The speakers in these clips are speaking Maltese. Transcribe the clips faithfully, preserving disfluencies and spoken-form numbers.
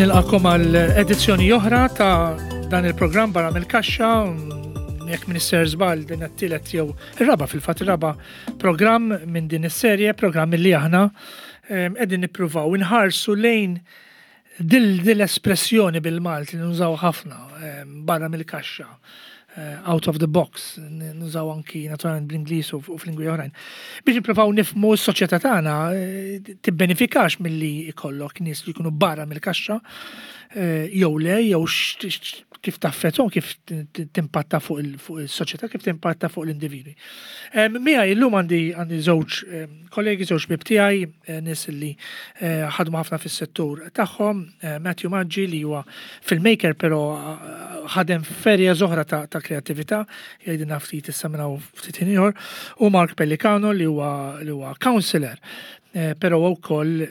Nilqagħkom għal edizzjoni oħra ta' dan il-programm Barra mill-Kaxxa, jekk m'iniex sejjer żball din it-tielet jew ir-raba' fil-fatt ir-raba' programm minn din is-serje, programm li aħna qegħdin nippruvaw inħarsu lejn dil l-espressjoni bil-Malti li nużaw ħafna barra mill-kaxxa, eh, out of the box, nużaw anki naturalment bl-Ingliż u f'lingwi oħrajn. Biex nippruvaw nifhmu s-soċjetà tagħna eh, tibbenefikax milli ikollok nies li jkunu barra mill-kaxxa eh, jew le, jew kif taffettwahom, kif timpatta fuq il-soċjetà, kif timpatta fuq l-individwi. Miegħi llum għandi għandi żewġ kollegi, żewġ ħbieb tiegħi, nies li ħadmu ħafna fis-settur tagħhom, Matthew Maggi li huwa filmmaker però ħadem f'areas oħra ta' kreattività, jgħidilna ftit issa minn hawn ftit ieħor, u Mark Pellicano li huwa li huwa counselor, però wkoll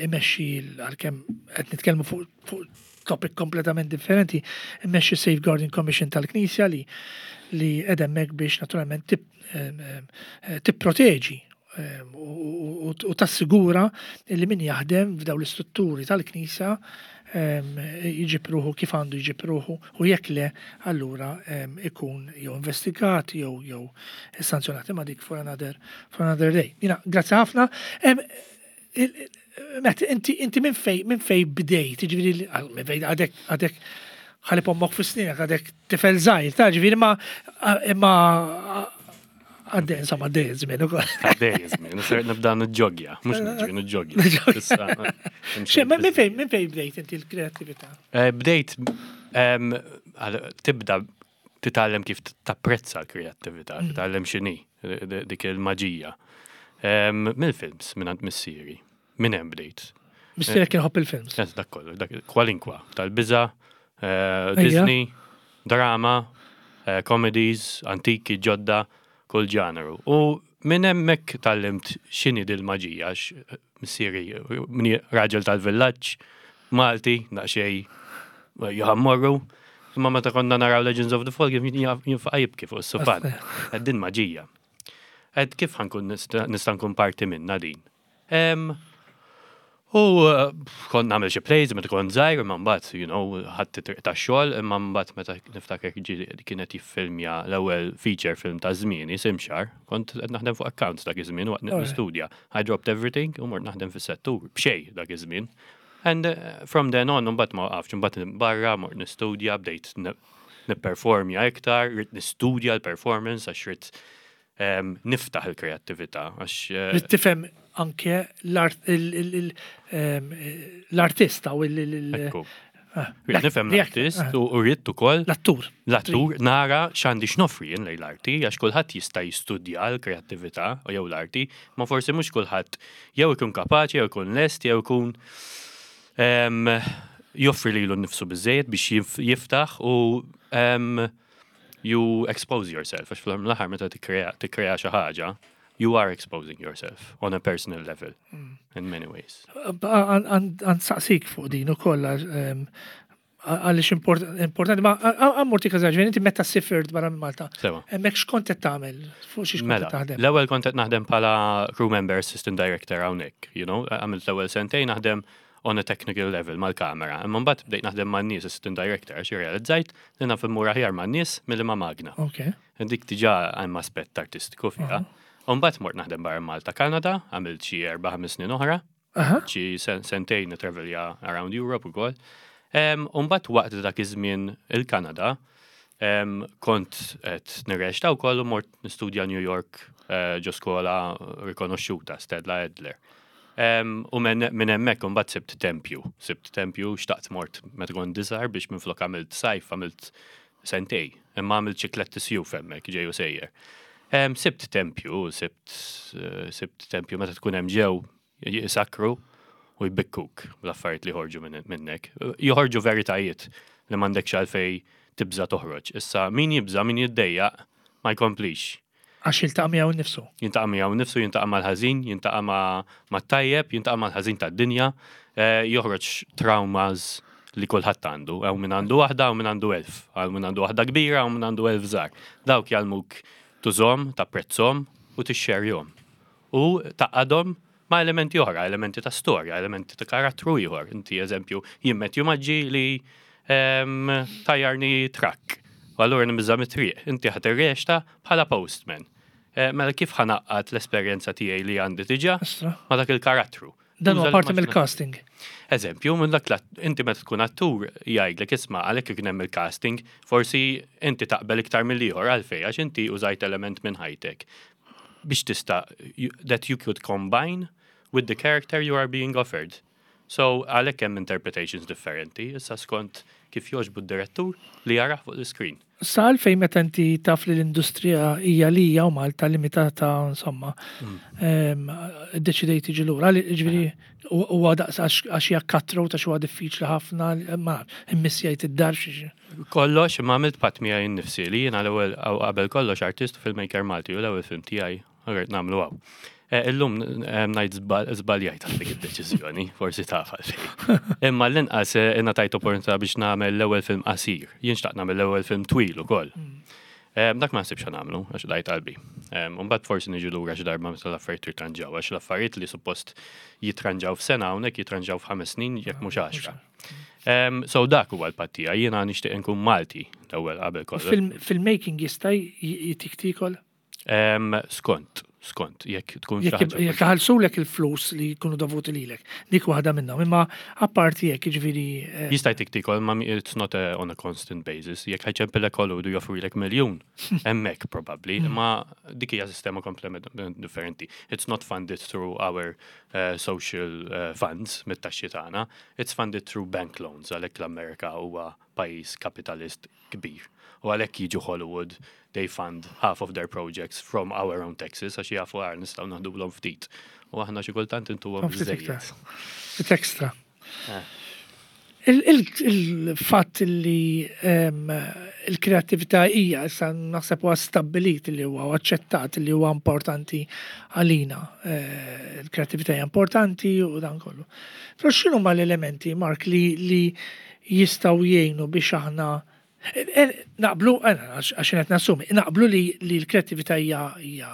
imexxi għalkemm qed nitkellmu fuq topic kompletament differenti, immexxi Safeguarding Commission tal-Knisja li li edemmek biex naturalment tipproteġi u tassigura li min jaħdem f'daw l-istrutturi tal-Knisja jġib ruħu kif għandu jġib ruħu u jekk le allura ikun jew investigat jew jew sanzjonat imma dik for another for another day. Jiena, grazzi ħafna. Matt, inti inti minn fej minn fej bdejt, ġifieri minn fej għadek għadek ħalib ommok fi sninek, għadek tifel żgħir, ta' ġifieri ma imma għaddej, insomma, għaddej żmien ukoll. Għaddej żmien, ser nibda nġogja, mhux niġri nġogja. Minn fej minn fej bdejt inti l-kreattività? Eh, bdejt tibda titgħallem kif tapprezza l-kreattività, mm. titgħallem x'inhi dik il-maġija. Mill-films minn għand missieri. Minn hemm bdejt. Missierek kien iħobb il-films. Yes, dak kollu, dak kwalinkwa, tal-biża, eh, Disney, drama, eh, comedies, antiki, ġodda, kull ġeneru. U minn hemmhekk tgħallimt x'inhi dil-maġija, għax missieri minni raġel tal-villaġġ, Malti, daqsxejn jaħammorru. Imma meta konna naraw Legends of the Fall, jinfaqa' jibki fuq is-sufan. Għed din maġija. Għedt kif ħa nkun nista' nkun parti minna din. Em, U uh, kont nagħmel xi plays meta kont żgħir, imma mbagħad, you know, ħadd triq tax-xogħol, imma mbagħad meta niftakar ġi kienet jiffilmja l-ewwel feature film ta' żmieni, Simxar, kont qed naħdem fuq accounts dak iż-żmien waqt Alright. nistudja. I dropped everything u mort naħdem fis-settur b'xejn dak iż-żmien. And uh, from then on, mbagħad ma waqafx, mbagħad barra mort nistudja, bdejt nipperformja iktar, ridt nistudja l-performance għax ridt em, niftaħ il-kreattività għax eh, Trid tifhem anke l-art- il- il- il- em, l-artista u il- il- il- Ekku. ah, Ridt nifhem l-artist ah, u u ridt ukoll l-attur. l-attur nara x'għandi x'noffri jien lejn l-arti, għax kulħadd jista' jistudja l-kreattività u jew l-arti, ma forsi mhux kulħadd jew ikun kapaċi, jew ikun lest, jew ikun em, joffri lilu nnifsu biżejjed biex jif- jiftaħ u em, you expose yourself, għax fl-aħħar meta tikkrea tikkrea xi ħaġa, you are exposing yourself on a personal level in many ways. Għan saqsik fuq din ukoll għaliex importanti, ma ħa mmur każaġ, inti meta sifirt barra minn Malta. Sewa. Hemmhekk x'kont qed tagħmel? Fuq xiex kont Mela, qed taħdem? l-ewwel kont qed naħdem bħala crew member assistant director hawnhekk, you know, għamilt l-ewwel sentejn naħdem on a technical level mal-kamera. Imma mbagħad bdejt naħdem man-nies assistant director għax irrealizzajt li naf immur aħjar man-nies milli ma' magna. Ok. Dik diġà hemm aspett artistiku fiha. U mbagħad mort naħdem barra Malta Kanada, għamilt xi erba' ħames snin oħra, Aha. xi sen- sentejn nitravelja around Europe ukoll. Um, U mbagħad waqt dak iż-żmien il-Kanada, um, kont qed nirreċta wkoll u mort nistudja New York uh, ġo skola rikonoxxuta, Stella Adler. Um, u minn min hemmhekk imbagħad sibt tempju, sibt tempju xtaqt mort meta kont iżgħar biex minflok għamilt sajf għamilt sentej, imma għamilt xi tlett isjuf hemmhekk ġej u sejjer. Um, sibt tempju, sibt, uh, sibt tempju meta tkun hemm ġew jisakru u jbikkuk l-affarijiet li joħorġu minn- minnek. Joħorġu veritajiet li m'għandekx għalfej tibża toħroġ. Issa min jibża, min jiddejjaq, ma jkomplix. Għax jiltaqa' miegħu nnifsu. Jiltaqa' miegħu nnifsu, jiltaqa' mal-ħażin, jiltaqa' ma' mat-tajjeb, jiltaqa' mal-ħażin tad-dinja, eh, joħroġ traumas li kulħadd għandu, hawn min għandu waħda, hawn min għandu elf, hawn min għandu waħda kbira, hawn min għandu elf żgħar. Dawk jgħallmuk tużahom, tapprezzahom u tixxerjahom. U tgħaqqadhom Ma' elementi oħra, elementi ta' storja, elementi ta' karattru ieħor. Inti eżempju, jien Matthew Maggi li em, tajjarni trakk. U allura nibża' mit-triq. Inti ħa tirreċta bħala postman. Eh, Mela kif ħa ngħaqqad l-esperjenza tiegħi li għandi diġà Astra. ma' dak il-karattru? Dan huwa Tuża parti l-immaġina- mill-casting. Eżempju, minn dak l- inti meta tkun attur jgħidlek isma' għalhekk kien hemm il-casting, forsi inti taqbel iktar mill-ieħor għalfejn għax inti użajt element minn ħajtek biex tista' you- that you could combine with the character you are being offered. So għalhekk hemm interpretations differenti, issa skont kif jogħġbu d-direttur li jarah fuq l-screen. Sa għalfejn meta inti taf li l-industrija hija li hija u Malta limitata insomma, em, iddeċidejt tiġi lura, li- ġifieri huwa daqs għax għax hija cutthroat għax huwa diffiċli ħafna, ma immissjajt id-dar xi. Kollox, ma għamilt patt miegħi nnifsi li jiena l-ewwel qabel kollox artist u filmmaker Malti u l-ewwel film tiegħi għarret nagħmlu hawn. Eh, Illum eh, ngħid żball- żbaljajt għal dik id-deċiżjoni, forsi taf għalfejn. Imma l-inqas eh, ingħatajt opportunità biex nagħmel l-ewwel film qasir. Jien xtaqt nagħmel l-ewwel film twil ukoll. Eh, Dak ma nsibx nagħmlu, għax dajt qalbi. Mbagħad forsi niġu lura xi darba meta l-affarijiet jirtranġaw, għax l-affarijiet li suppost jitranġaw f'sena hawnhekk jitranġaw f'ħames snin jekk mhux għaxra. Um, so dak huwa l-patt tiegħi, jiena nixtieq inkun Malti l-ewwel qabel kollox. Filmmaking jista' jtik tiekol? Um, skont, skont, jekk tkun xi Jekk ħaġa. jekk ħallsulek il-flus li jkunu dovuti lilek, dik waħda minnhom. Imma apparti jekk jiġifieri eh, Jista' jtik tiekol, ma mi- it's not a, on a constant basis. Jekk ħa jċempillek Hollywood u joffrilek miljun, hemmhekk probably, imma dik hija sistema kompletament differenti. It's not funded through our uh, social uh, funds mit-taxxi tagħna, it's funded through bank loans għalhekk l-Amerika huwa pajjiż kapitalist kbir. U għalhekk jiġu Hollywood, they fund half of their projects from our own taxes għax jafu għar nistgħu naħdulhom ftit. U aħna xi kultant intuhom Ftit iktar. biżejjed. Ftit extra. Eh. Il- il- Il-fatt li em, il-kreatività hija issa naħseb huwa stabbilit li huwa aċċettat li huwa importanti għalina. Eh, Il-kreatività hija importanti u dan kollu. Però x'inhu ma l-elementi, Mark, li, li jistgħu jgħinu biex aħna eh, eh, naqblu, eh, għax għax qed nassumi, naqblu li, li l-kreatività hija hija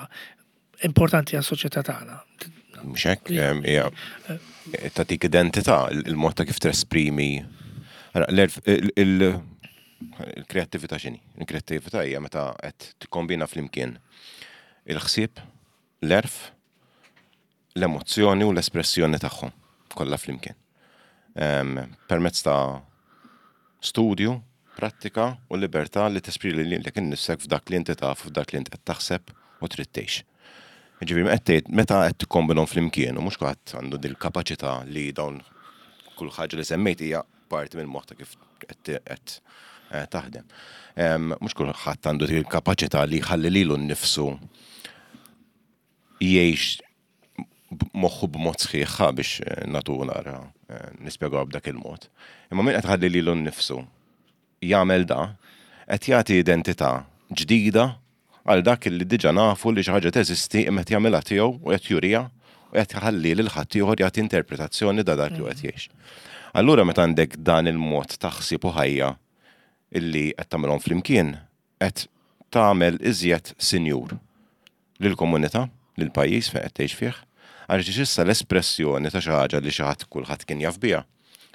importanti għas-soċjetà tagħna. Mhux hekk, em, hija tagħtik identità, il- il-mod ta' kif tesprimi. Ara, l-erf- il- il- Il-kreattività x'inhi? Il-kreattività hija meta qed tikkombina flimkien il-ħsieb, l-għerf, l-emozzjoni u l-espressjoni tagħhom kollha flimkien. Em, Permezz ta' studju, prattika u libertà li tesprimi lilek innifsek f'dak li inti taf, f'dak li inti qed taħseb u trid tgħix. Ġifieri, meta qed meta qed tikkombinhom flimkien u mhux kulħadd għandu dil kapaċità li dawn kull ħaġa li semmejt hija parti minn moħħ ta' kif qed qed eh, taħdem. Em, Mhux kulħadd għandu dil kapaċità li jħalli lilu nnifsu jgħix moħħu b'mod sħiħ biex eh, natu nara eh, nispjegaw b'dak il-mod. Imma min qed ħalli lilu nnifsu jagħmel da, qed jagħti identità ġdida għal dak li diġà nafu li xi ħaġa teżisti imma qed jagħmilha tiegħu u qed jurija u qed jħalli lil ħaddieħor jagħti interpretazzjoni da dak li qed jgħix. Allura meta għandek dan il-mod ta' ħsieb u ħajja illi qed tagħmelhom flimkien, qed tagħmel iżjed sinjur lill-komunità, lill-pajjiż fejn qed tgħix fih, għaliex issa l-espressjoni ta' xi ħaġa li xi ħadd kulħadd kien jaf biha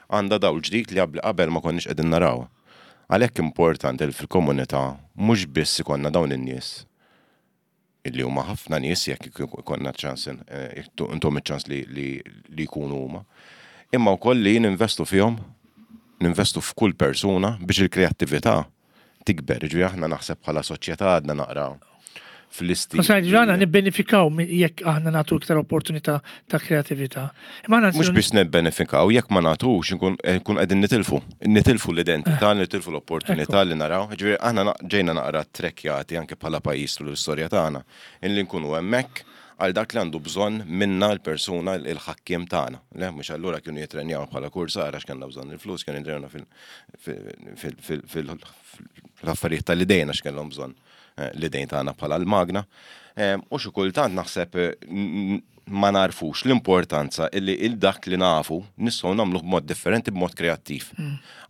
għandha dawl ġdid li qabel qabel ma konniex qegħdin naraw. Għalhekk importanti li fil-komunità mhux biss ikollna dawn in-nies illi huma ħafna nies jekk ikollna ċans eh, jekk intom iċ-ċans li, li, li jkunu huma. Imma wkoll li ninvestu fihom, ninvestu f'kull persuna biex il-kreattività tikber. Ġifieri aħna naħseb bħala soċjetà għadna naqra fl-isti. Ma sa ġana nibbenefikaw mi- jekk aħna nagħtu iktar opportunità ta' kreatività. Imma aħna Mhux nsiru- biex nibbenefikaw, jekk ma nagħtux nkun nkun qegħdin nitilfu. Nitilfu l-identità, nitilfu l-opportunità li naraw. Ġifieri aħna na- ġejna naqra trekkjati anke bħala pajjiż tul l-istorja tagħna. Illi nkunu hemmhekk għal dak li għandu bżonn minna l-persuna il-ħakkiem tagħna. Le, mhux allura kienu jitrenjaw bħala kursar għax kellna bżonn il-flus, kienu jitrenjaw fil-affarijiet tal-idejn għax kellhom bżonn eh, l-idejn tagħna bħala l-magna. Eh, U xi kultant naħseb eh, n- ma narfux l-importanza illi il-dak li nafu nistgħu nagħmluh b'mod differenti, b'mod kreattiv.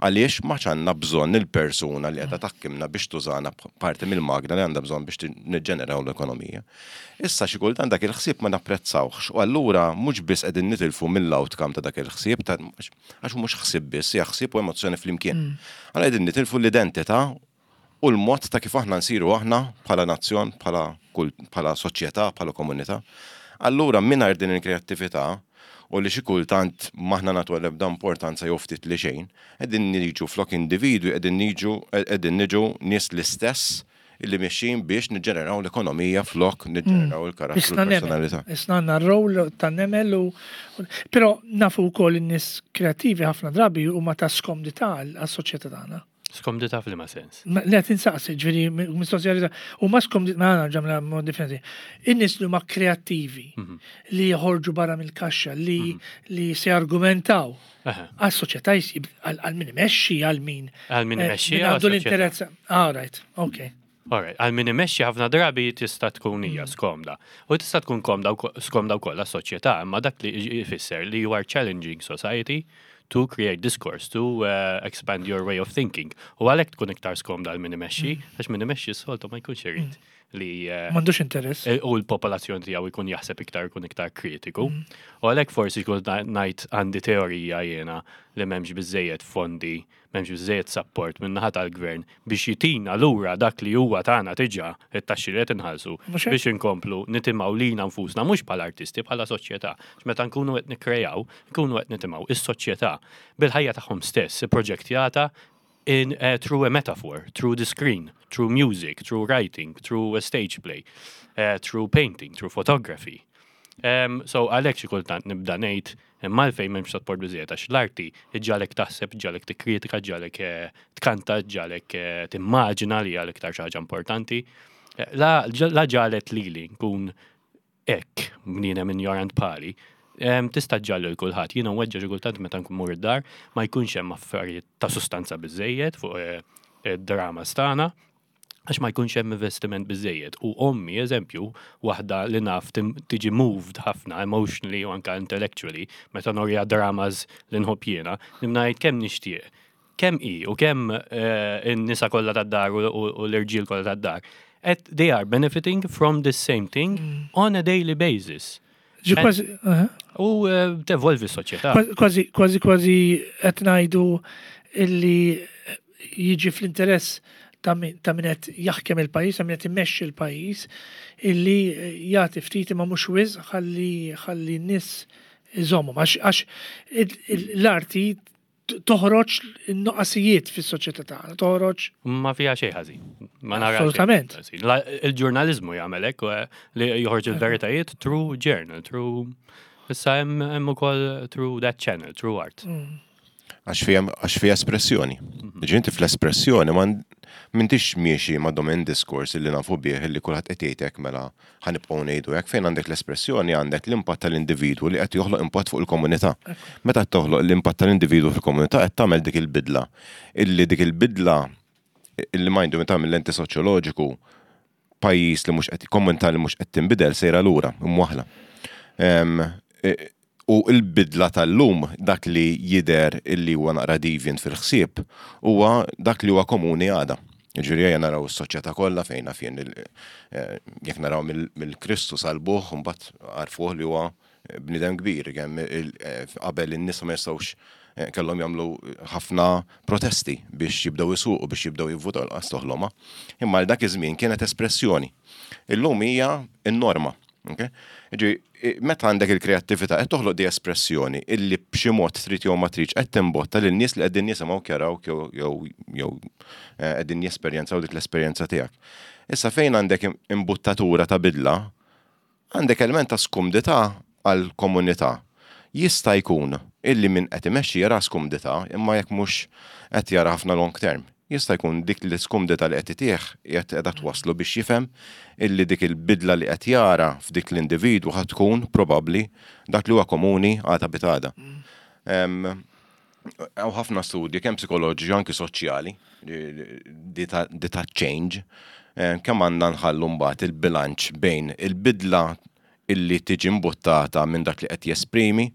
Għaliex ma għandna bżonn il-persuna li qiegħda taħkimna biex tużana parti mill-magna li għandha bżonn biex niġġeneraw l-ekonomija. Issa xi kultant dak il-ħsieb ma napprezzawhx u allura mhux biss qegħdin nitilfu mill-outcome ta' dak il-ħsieb, għax mhux ħsieb biss, hija ħsieb u emozzjoni flimkien. Allura qegħdin nitilfu l-identità u l-mod ta' kif aħna nsiru aħna bħala nazzjon, bħala soċjetà, bħala komunità. Allura mingħajr din il-kreattività u li xi kultant m'aħna nagħtu l-ebda importanza jew ftit li xejn, qegħdin niġu flok individwi, qegħdin niġu qegħdin niġu nies l-istess illi mexxin biex niġġeneraw l-ekonomija flok niġġeneraw il-karattru, l-personalità. Isna għandna r-rol ta' nemel u però nafu wkoll in-nies kreattivi ħafna drabi huma ta' skomdità għas-soċjetà tagħna. Skomdità f'liema sens? Le, tinsaqsi, ġifieri, mistoqsija, u ma skomdità, ma ġamla mod differenti. In-nies li huma kreattivi, mhm. li joħorġu barra mill-kaxxa, li mhm. li se argumentaw għas-soċjetà, għal min imexxi, għal min. Għal min imexxi. Għandu l-interess. All right, okay. Alright, għal min imexxi ħafna drabi tista' tkun hija mm. skomda. U tista' tkun komda skomda wkoll għas-soċjetà, imma dak li jfisser li you are challenging society to create discourse, to uh, expand your way of thinking. U għalhekk tkun iktar skomda għal min imexxi, mm. għax min imexxi s-soltu ma jkunx irid mm. li uh, M'għandux interess. Eh, u l-popolazzjoni tiegħu jkun jaħseb iktar, jkun iktar kritiku. Mm. U għalhekk forsi jkun ngħid għandi teorija jiena li m'hemmx biżejjed fondi, m'hemmx biżejjed support minn naħa tal-gvern biex jitina lura dak li huwa tagħna diġà, it-taxxi li qed inħallsu, biex inkomplu nitimgħu lina nfusna mhux bħala artisti, bħala soċjetà. Meta nkunu qed nikkrejaw, nkunu qed nitimgħu is-soċjetà bil-ħajja tagħhom stess, proġettjata in uh, through a metaphor, through the screen, through music, through writing, through a stage play, uh, through painting, through photography. Um, so għalhekk xi kultant nibda ngħid imma għalfejn m'hemmx support biżejjed, għax l-arti ġġagħlek taħseb, ġġagħlek tikkritika, ġġagħlek eh, tkanta, ġġagħlek eh, timmaġina li għal iktar xi ħaġa importanti. Eh, La, la ġagħlet lili nkun hekk bniedem ignorant pali, em, tista' ġġagħal lil kulħadd. Jiena nweġġa' xi kultant meta nkun mur id-dar ma jkunx hemm affarijiet ta' sustanza biżejjed fuq eh, id-drama tagħna għax ma jkunx hemm investiment biżejjed. U ommi, eżempju, waħda li naf tim- tiġi moved ħafna emotionally u anka intellectually, meta norja dramas li nħobb jiena, nibda ngħid kemm nixtieq. Kemm i u kemm eh, in-nisa kollha tad-dar u, u, u l-irġiel kollha tad-dar. Et they are benefiting from the same thing on a daily basis. Ġi kważi, aha. U eh, tevolvi s-soċjetà. Kważi, kważi, kważi qed ngħidu illi jiġi fl-interess ta' min ta' min qed jaħkem il-pajjiż, ta' min qed immexxi l-pajjiż, illi jagħti ftit imma mhux wisq ħalli ħalli n-nies iżommu. Għax għax il- il- l-arti t- toħroġ in-nuqqasijiet fis-soċjetà tagħna, toħroġ Ma fiha xejn ħażin. Ma nara xejn Assolutament. ħażin. La- Il-ġurnalizmu jagħmel hekk eh, li joħorġ il-veritajiet through journal, through issa hemm hemm ukoll through that channel, through art. Għax fija, għax fija espressjoni. Ġi inti fl-espressjoni ma m'intix miexi ma' domain discourse li nafu bih li kulħadd qed jgħidek mela ħa nibqgħu ngħidu hekk. Fejn għandek l-espressjoni għandek l-impatt tal-individwu li qed joħloq impatt fuq il-komunità. Meta toħloq l-impatt tal-individwu fil-komunità qed tagħmel dik il-bidla. Illi dik il-bidla illi majndu meta mill lenti soċjoloġiku, pajjiż li mhux qed, komunità li mhux qed tinbidel sejra lura, imwaħla. Em, e- U il-bidla tal-lum, dak li jider illi huwa naqra deviant fil-ħsieb, huwa dak li huwa komuni għada. Ġifieri ejja naraw is-soċjetà kollha fejn fien eh, jekk naraw mill-Kristu salbuh, mbagħad għarfuh li huwa bniedem kbir, kemm eh, qabel in-nisa ma jistgħux eh, kellhom jagħmlu ħafna protesti biex jibdew isuqu, biex jibdew jivvutaw, l toħloma. Imma l dak iż-żmien kienet espressjoni. Illum hija n-norma. Okay? Ġi, meta għandek il-kreattività qed toħloq di espressjoni illi b'xi mod trid jew ma tridx qed timbotta lin nies li qegħdin jisimgħu, jaraw jew jew jew eh, qegħdin jesperjenzaw dik l-esperjenza tiegħek. Issa fejn għandek imbuttatura ta' bidla, għandek element ta' skumdità għal komunità. Jista' jkun illi min qed imexxi jara skumdità, imma jekk mhux qed jara ħafna long term. Jista' jkun dik l-iskumdità li qed itih qiegħed qiegħda twaslu biex jifhem illi dik il-bidla li qed jara f'dik l-individwu ħad tkun probabbli dak li huwa komuni għada pitgħada. Hawn ħafna studji kemm psikoloġiċi, anki soċjali, di ta' change, kemm għandna nħallu mbagħad il-bilanċ bejn il-bidla illi tiġi mbuttata minn dak li qed jesprimi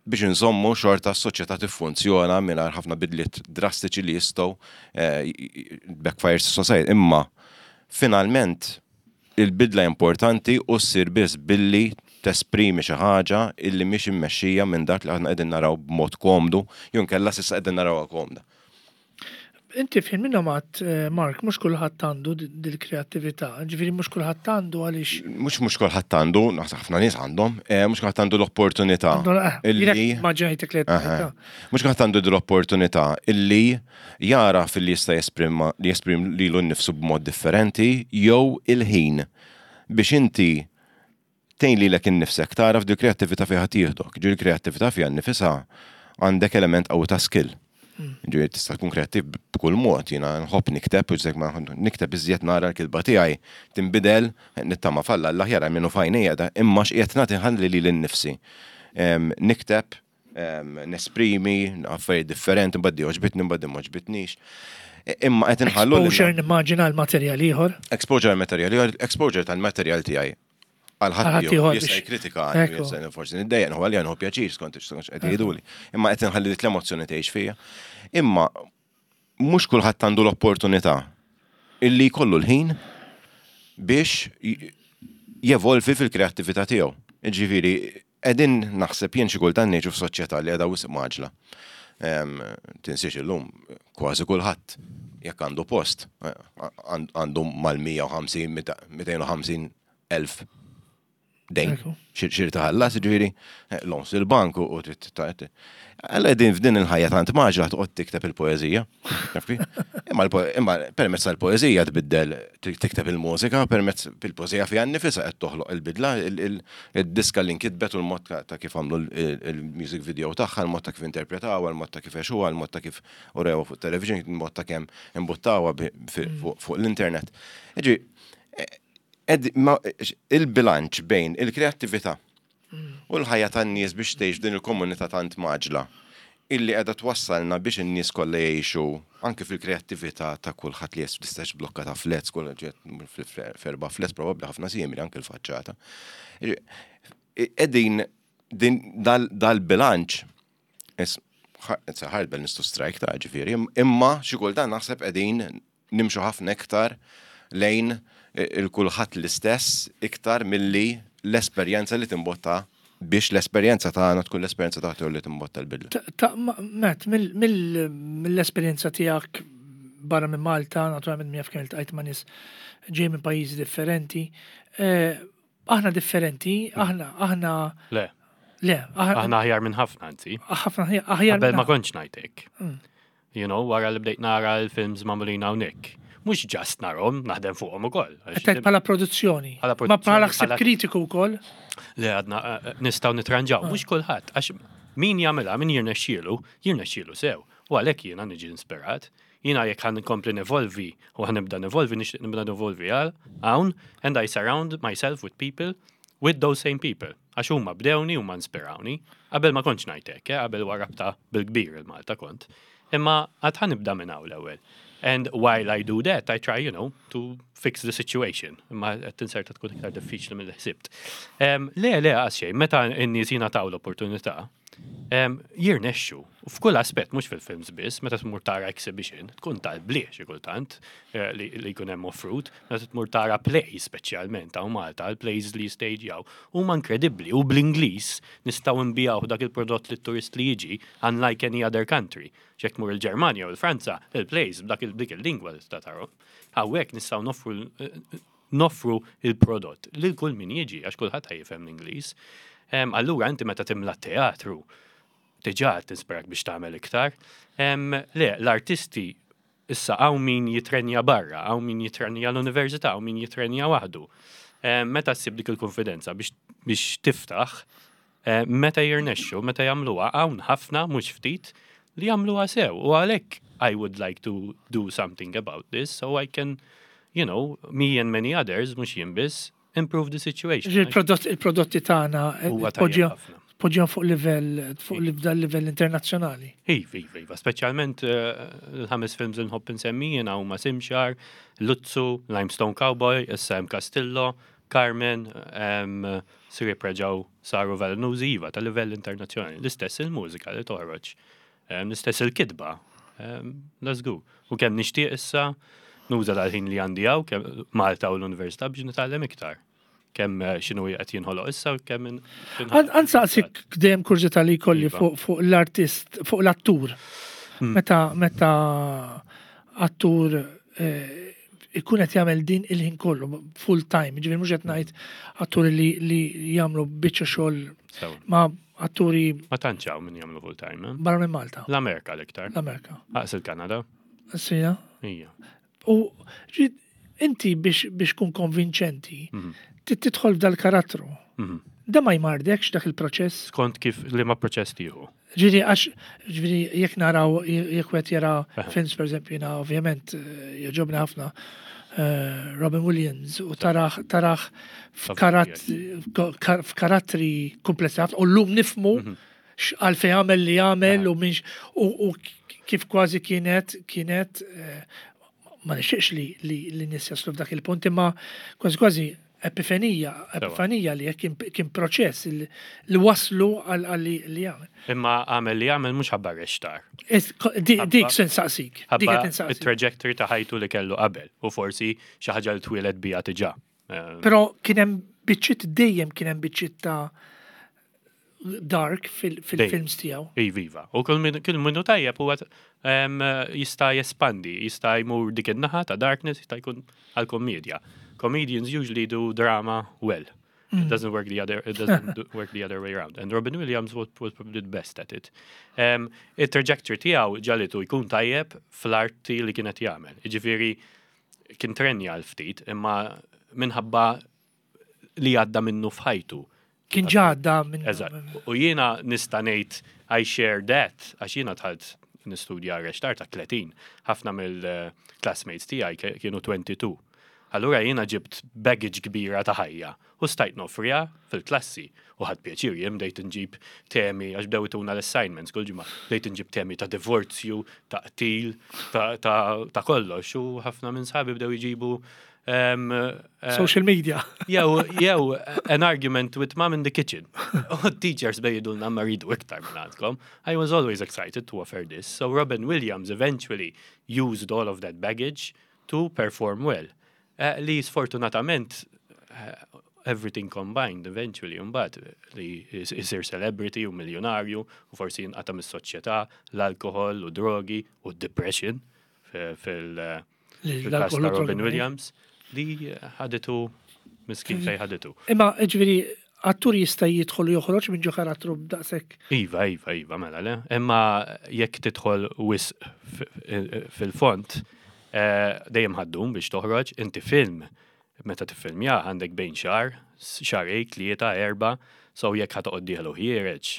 biex nżommu xorta s-soċjetà tiffunzjona mingħajr ħafna bidliet drastiċi li jistgħu eh, backfire society. Imma finalment il-bidla importanti u ssir biss billi tesprimi xi ħaġa illi mhix immexxija minn dak li aħna qegħdin naraw b'mod komdu, jew inkella s'issa qegħdin narawha komda. Inti fin minnhom għat, eh, Mark, mhux kulħadd għandu dil-kreattività, ġifieri mhux kulħadd għandu għaliex. Mhux mhux kulħadd għandu, naħseb ħafna nies għandhom, eh, mhux kulħadd għandu l-opportunità. Illi. Maġġajtek li Mhux kulħadd għandu l-opportunità illi jara fil-li jista' jesprima li jesprim lilu nnifsu b'mod differenti jew il-ħin biex inti tgħin lilek innifsek tara f'dil kreattività fejn tieħdok. Ġifieri kreattività fiha nnifisha għandek element qawwi ta' skill. Ġifieri tista' tkun kreattiv b'kull mod, jiena nħobb nikteb, u ġek ma nikteb iżjed nara l-kitba tiegħi tinbidel, nittama falla l-aħjar minnu fajnejja da, imma x'qiegħed nagħti ħalli lili nnifsi. Nikteb, nesprimi, affarijiet differenti, mbagħad għoġbitni, mbagħad m'għoġbitnix. Imma qed inħallu. Exposure nimmaġina l-materjal ieħor. Exposure l-materjal ieħor, exposure tal-materjal tiegħi għal ħadd jista' jikkritika, forsi niddejjaq nħu għalija nħu pjaċir skont qed jgħiduli. Imma qed inħalli l-emozzjoni tgħix fija. Imma mhux kulħadd għandu l-opportunità illi jkollu l-ħin biex jevolvi fil-kreattività tiegħu. Ġifieri, qegħdin naħseb jien xi kultant ngħixu f'soċjetà li qiegħda wisq mgħaġġla. Tinsiex illum kważi kulħadd jekk għandu post għandu mal-mija u ħamsin, mitejn u ħamsin elf dejn. Xir taħallas, ġifieri, loans il-bank u trid. Għalla din f'din il-ħajja tant mgħaġġla toqgħod tikteb il-poeżija. Imma imma permezz tal-poeżija tbiddel tikteb il-mużika, permezz il-poeżija fiha nnifisha qed toħloq il-bidla, il-diska li nkitbet u l-mod ta' kif għamlu il-music video tagħha, il-mod ta' kif interpretawha, il-mod ta' kif għexuha, il-mod ta' kif urewha fuq television, il-mod ta' kemm imbuttawha fuq l-internet. Ġi, il-bilanċ bejn il-kreattività u l-ħajja tan-nies biex tgħix din il-komunità tant mgħaġġla illi qiegħda twassalna biex in-nies kollha jgħixu anke fil-kreattività ta' kulħadd li jes blokka ta' flats, kull ferba flats probabbli ħafna simili anke l-faċċata. Qegħdin din dal-bilanċ it's a hard balance to strike ta' ġifieri, imma xi kultant naħseb qegħdin nimxu ħafna iktar lejn il-kulħadd l-istess iktar milli l-esperjenza li timbotta biex l-esperjenza tagħna tkun l-esperjenza tagħtu li timbotta l-bidla. Matt, mill-esperjenza tiegħek barra minn Malta, naturalment min jaf kemm iltqajt ma' nies ġej minn pajjiżi differenti, eh, aħna differenti, aħna aħna Le. Le, aħna aħjar minn ħafna anzi. Ħafna aħjar. Qabel ma kontx ngħidlek. Mm. You know, wara li bdejt nara l-films magħmulin hawnhekk mhux just narahom, naħdem fuqhom ukoll. Qed bħala produzzjoni. Ma bħala ħsieb kritiku wkoll. Le għadna eh, eh, nistgħu nitranġaw, mhux kulħadd, għax min jagħmilha, min jirnexxielu, jirnexxielu sew. U għalhekk jiena niġi inspirat. Jiena jekk ħa nkompli nevolvi u ħa nibda nevolvi, nixtieq nibda nevolvi għal hawn, and I surround myself with people, with those same people. Għax huma bdewni, huma inspirawni. Qabel ma kontx ngħidlek, eh, qabel warrabta bil-kbir il-Malta kont. Imma għad ħa nibda minn hawn l-ewwel. And while I do that, I try, you know, to fix the situation. Imma qed tinserta tkun iktar diffiċli mill ħsibt. Le, le, għas xejn, meta n-nies jingħataw l-opportunità, jirnexxu. F'kull aspett, mhux fil-films biss, meta tmur tara exhibition, tkun tal-blieh xi kultant eh, li jkun hemm offrut, meta tmur tara play speċjalment hawn Malta, l-plays li jistagejaw, huma inkredibbli u bl-Ingliż nistgħu nbigħu dak il-prodott li turist li jiġi unlike any other country. Jekk tmur il-Ġermanja u l-Franza, il-plays b'dak dik il-lingwa li tista' tarahom. Hawnhekk nistgħu noffru noffru il-prodott lil kull min jiġi għax kulħadd jifhem l-Ingliż. Allura inti meta timla teatru diġà tinspirak biex tagħmel iktar. Le, l-artisti issa hawn min jitrenja barra, hawn min jitrenja l-università, hawn min jitrenja waħdu. Meta ssib dik il-konfidenza biex, biex tiftaħ, meta jirnexxu, meta jagħmluha, hawn ħafna mhux ftit li jagħmluha sew. U għalhekk I would like to do something about this so I can, you know, me and many others, mhux jien biss, improve the situation. Il-prodotti tagħna poġġihom fuq livell fuq dal livell internazzjonali. Iva, iva, iva, speċjalment eh, l-ħames films li nħobb insemmi jiena huma Simshar, Luzzu, Limestone Cowboy, issa hemm Castillo, Carmen, um, Sirip reġgħu saru velenużi, iva, ta' livell internazzjonali. L-istess il-mużika li toħroġ, um, l-istess il-kitba. Um, let's go. U kemm nixtieq issa nuża dal-ħin li għandi hawn, kemm Malta u l-Università, biex nitgħallem iktar. Kemm eh, x'inhu qed jinħoloq issa u kemm in- Ħa nsaqsik dejjem kurżità li jkolli Iva. fuq fuq l-artist, fuq l-attur. Hmm. Meta meta attur eh, ikun qed jagħmel din il-ħin kollu full time, ġifieri mhux qed ngħid atturi li li jagħmlu biċċa xogħol Sew. ma' atturi Ma tantx hawn min jagħmlu full time, eh? barra minn Malta, L-Amerika l-iktar. L-Amerika. Aqs il-Kanada. Sija. Ija. U ġi- inti biex biex kun konvinċenti, Mhm. trid tidħol f'dal karattru. Mhm. Da ma jmardekx dak il-proċess. Skont kif li ma proċess tieħu. Ġifieri, għax, ġifieri, jekk naraw, jekk wieħed jara Aha. films, per eżempju, jiena ovvjament, eh, jogħġobni ħafna eh, Robin Williams u taraħ, taraħ f'karat- f'kar- f'karattri komplessi ħafna, u llum nifhmu Mhm. għalfejn għamel li għamel u minx, u, u kif kważi kienet, kienet, eh, ma nixtieqx li, li, li nies jaslu f'dak il-punt, imma kważi kważi epifenija, epifanija li kien, kien proċess li, li waslu għal għal li, li għamel. Imma għamel li għamel mhux ħabba rextar. Is- ko- di- Ħabba- Dik se nsaqsik. Dik Ħabba qed insaqsik. il-trajectory ta' ħajtu li kellu qabel u forsi xi ħaġa li twieled biha diġà. Eh, Però kien hemm biċċiet, dejjem kien hemm biċċiet ta' dark fil- fil-films tiegħu. Iva, iva. U kull min kull minnu tajjeb huwa em, jista' jespandi, jista' jmur dik in-naħa ta' darkness, jista' jkun għal komedja. Comedians usually do drama well. It doesn't work the other it doesn't do, work the other way around. And Robin Williams was, was probably the best at it. Um, il-trajectory tiegħu ġagħlitu jkun tajjeb fl-arti li kienet jagħmel. Jiġifieri kien trenja l-ftit, imma minħabba li għadda minnu f'ħajtu. Kien ġadda minn. Eżatt. U jiena nista' ngħid I share that, għax jiena dħalt nistudja reċtar ta' tletin. Ħafna mill-classmates tiegħi ke- kienu tnejn u għoxrin. Allura jiena ġibt baggage kbira ta' ħajja u stajt noffriha fil-klassi u ħadt pjaċir. Jien bdejt nġib temi, għax bdew ituna l-assignments kull ġimgħa, bdejt nġib temi ta' divorzju, ta' qtil, ta', ta, ta kollox, u ħafna minn sħabi bdew jġibu um, uh, Social media. Jew, jew, an argument with mom in the kitchen. U teachers jgħidulna, "Ma rridu iktar minn għandkom." I was always excited to offer this. So Robin Williams eventually used all of that baggage to perform well. Uh, li sfortunatament, uh, everything combined eventually, mbagħad li jisir celebrity u miljonarju u forsi jinqata' mis-soċjetà, l-alkohol u drogi u depression fil- uh, fil-kas L-alkohol ta' u Robin drogi. Williams li ħaditu miskin fej ħaditu. Imma ġifieri, attur jista' jidħol u joħroġ minn ġo karattru b'daqshekk. Iva, iva, iva, mela le. Imma jekk tidħol wisq fil-font, eh, dejjem ħa ddum biex toħroġ. Inti film, meta tiffilmja għandek bejn xahar, xahrejn, tlieta, erba, so jekk ħa toqgħod dieħel u ħiereġ,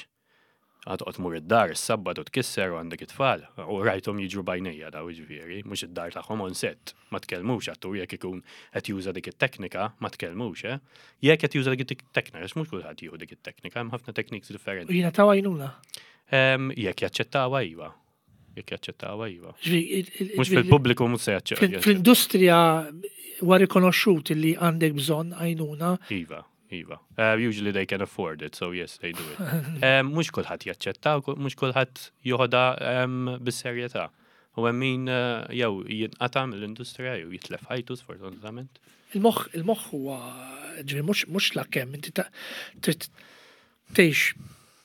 ħa toqgħod tmur id-dar, is-sabbatu tkisser u għandek it-tfal. U rajthom jiġru b'għajnejja daw, ġifieri, mhux id-dar tagħhom on set. Ma tkellmux attur jekk ikun qed juża dik it-teknika, ma tkellmux, eh? Jekk qed juża dik it-teknika, għax mhux kulħadd jieħu dik it-teknika, hemm ħafna techniques U differenti. jiena taw għajnuna. Em, Jekk jaċċettawha, iva. Jekk jaċċettawha, iva. Ġifieri, il- il- Mhux ġifieri, fil-pubbliku mhux se jaċċettaw. Fl-industrija huwa rikonoxxut li għandek bżonn għajnuna. Iva, iva. Uh, usually they can afford it, so yes, they do it. Um, mhux kulħadd jaċċetta, mhux kulħadd joħodha um, bis-serjetà. U hemm min uh, jew jinqata' mill-industrija jew jitlef ħajtu, sfortunatament. Il-moħħ il-moħħ huwa, ġifieri, mhux mhux la kemm inti ta- trid tgħix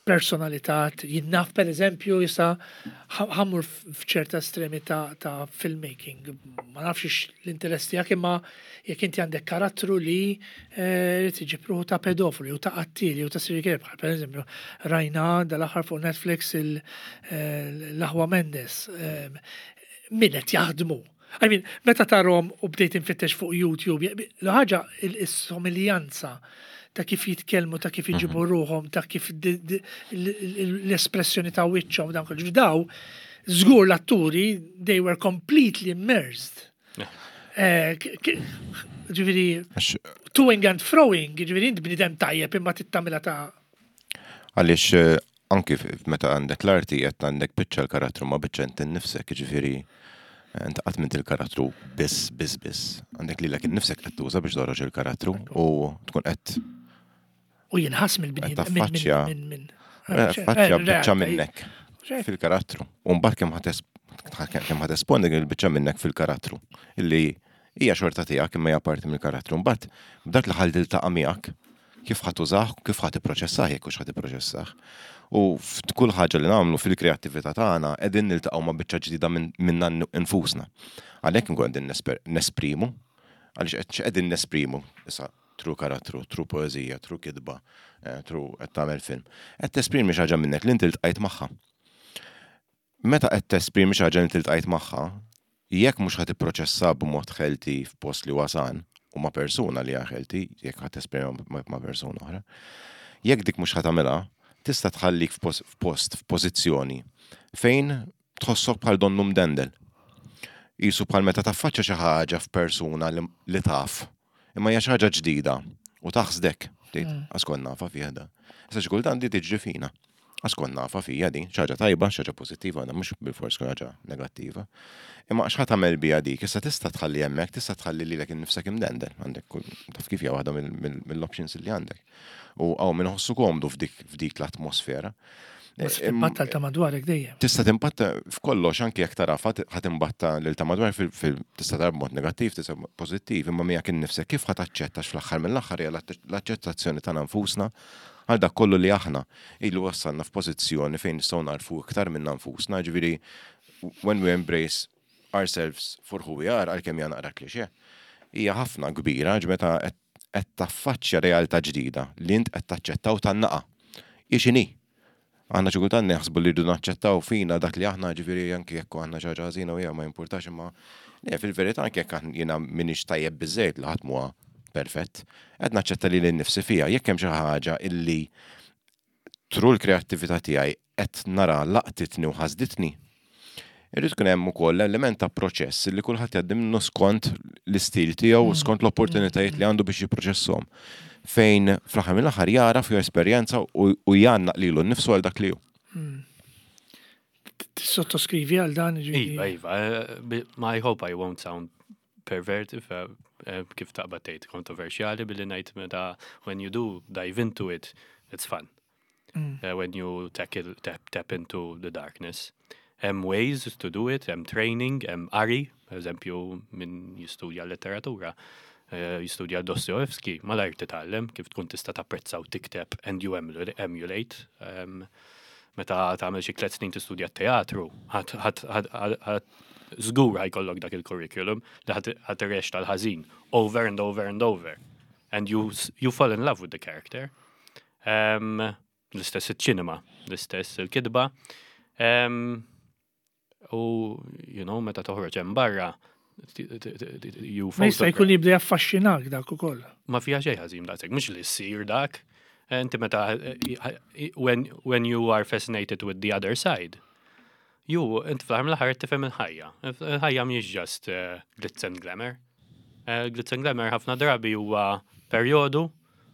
personalità. Jien naf, per eżempju, jista' ħa mmur f'ċerta estremi ta', ta' filmmaking. Ma nafx ix l-interess tiegħek, imma jekk inti għandek karattru li eh, irid iġib ruħu ta' pedofili u ta' qattili u ta' serial killer, bħal per eżempju rajna dal-aħħar fuq Netflix il- eh, l-Aħwa Mendes. eh, Min qed jaħdmu. I mean, meta tarahom u bdejt infittex fuq YouTube, l-ħaġa il-somiljanza ta' kif jitkellmu, ta' kif iġibu ruħhom, ta' kif di- di- l- l- l-espressjoni ta' wiċċhom, dan kollu. Daw, żgur l-atturi, they were completely immersed. Eh, k- k- Ġifieri, Għax toing and froing, ġifieri int bnidem tajjeb imma tittamila ta' Għaliex eh, anki f- meta għandek l-arti qed għandek biċċa l-karattru ma biċċa inti nnifsek, ġifieri Inti qatt m'int il-karattru biss, biss, biss. Għandek lilek innifsek qed tuża biex toħroġ il-karattru u tkun qed U jinħass mill-bniedem. Qed taffaċċja- Minn minn taffaċċja biċċa minnek Xejn. fil-karattru. U mbagħad kemm ħa tes- kemm ħa tespondi il-biċċa minnek fil-karattru illi hija xorta tiegħek imma hija parti mill-karattru. Mbagħad b'dak li ħa tiltaqa' miegħek kif ħa tużah, kif ħa tipproċessah jekk hux ħa tipproċessah. U f'kull ħaġa li nagħmlu fil-kreattività tagħna qegħdin niltaqgħu ma' biċċa ġdida minn- minna nfusna. Għalhekk nkun qegħdin nesper- nesprimu, għaliex qed qegħdin nesprimu issa through karattru, through poeżija, through kitba, eh, through qed tagħmel film. Qed tesprimi xi ħaġa minnek li inti ltqajt magħha. Meta qed tesprimi xi ħaġa li inti ltqajt magħha, jekk mhux ħa tipproċessa b'mod healthy f'post li wasan u ma' persuna li hija healthy, jekk ħa tesprimi ma' ma' persuna oħra, jekk dik mhux ħa tagħmilha, tista' tħallik f'pos- f'post, f'pożizzjoni fejn tħossok bħal donnu mdendel. Qisu bħal meta taffaċċa xi ħaġa f'persuna li, li taf, imma hija xi ħaġa ġdida u taħsdek, tgħid, għax kont nafha fih da. Issa xi kultant di tiġri fina. Għax kont nafha fija di, xi ħaġa tajba, xi ħaġa pożittiva, għandha mhux bilfors tkun ħaġa negattiva. Imma x'ħa tagħmel biha dik, issa tista' tħalli hemmhekk, tista' tħalli lilek innifsek imdendel, għandek kull taf kif hija waħda mill- mill- mill-options li għandek. U hawn min iħossu komdu f'dik f'dik l-atmosfera. Tista' timbatta ta' madwarek dejjem. Tista' timbatta f'kollox anke jekk tara ħa timbatta lil ta' madwar fil- fil- tista' tara b'mod negattiv, tista' pożittiv, imma miegħek innifsek kif ħa taċċetta fl-aħħar mill-aħħar hija l-aċċettazzjoni tagħna nfusna għal dak kollu li aħna illu wassalna f'pożizzjoni fejn nistgħu narfu iktar minna nfusna, ġifieri when we embrace ourselves for who we are, għalkemm hija naqra klixe, hija ħafna kbira ġ meta qed qed taffaċċja realtà ġdida li int qed taċċettaw tan-naqa. Hi x'inhi? Aħna xi kultant neħsbu li rridu naċċettaw fina dak li aħna ġifieri anki jekk aħna xi ħaġa ħażina u hija ma jimpurtax imma le fil-verità anke jekk aħna jiena m'iniex tajjeb biżejjed li ħadd m'huwa perfett, qed naċċetta lili nnifsi fija jekk hemm xi ħaġa illi through l-kreattività tiegħi qed nara laqtitni u ħasditni. Irrid tkun hemm ukoll element ta' proċess li kulħadd jgħaddi minnu skont l-istil tiegħu u skont l-opportunitajiet li għandu biex jipproċesshom. Fejn fl-aħħar mill-aħħar jara fi esperjenza u u jgħannaq lilu nnifsu għal dak li hu. Tissottoskrivi għal dan ġifieri. Iva, iva, eh, bi- ma I hope I won't sound perverted, eh, eh, kif taqbad tgħid kontroversjali billi ngħid meta when you do dive into it, it's fun. Uh, when you tackle, tap, tap into the darkness. Hemm ways to do it, hemm training, hemm qari, per eżempju, min jistudja letteratura, eh, jistudja Dostoevsky, malajr titgħallem kif tkun tista' tapprezza u tikteb and you emulate. emulate. Um, meta tagħmel xi tliet snin tistudja teatru, żgur ħa jkollok dak il-curriculum li ħa tirreċta l-ħażin over and over and over. And you, s- you fall in love with the character. Um, l-istess il-ċinema, l-istess il-kitba. Um, u, you know, meta toħroġ hemm barra, t- t- t- t- you Ma jista' jkun jibda jaffaxxinak dak ukoll. ma fija xejn ħażin daqshekk, mhux li ssir dak. Inti meta when, when you are fascinated with the other side, you inti fl-aħħar mill-aħħar tifhem il-ħajja. Il-ħajja mhijiex just uh, glitz and glamour. Uh, glitz and glamour ħafna drabi huwa perjodu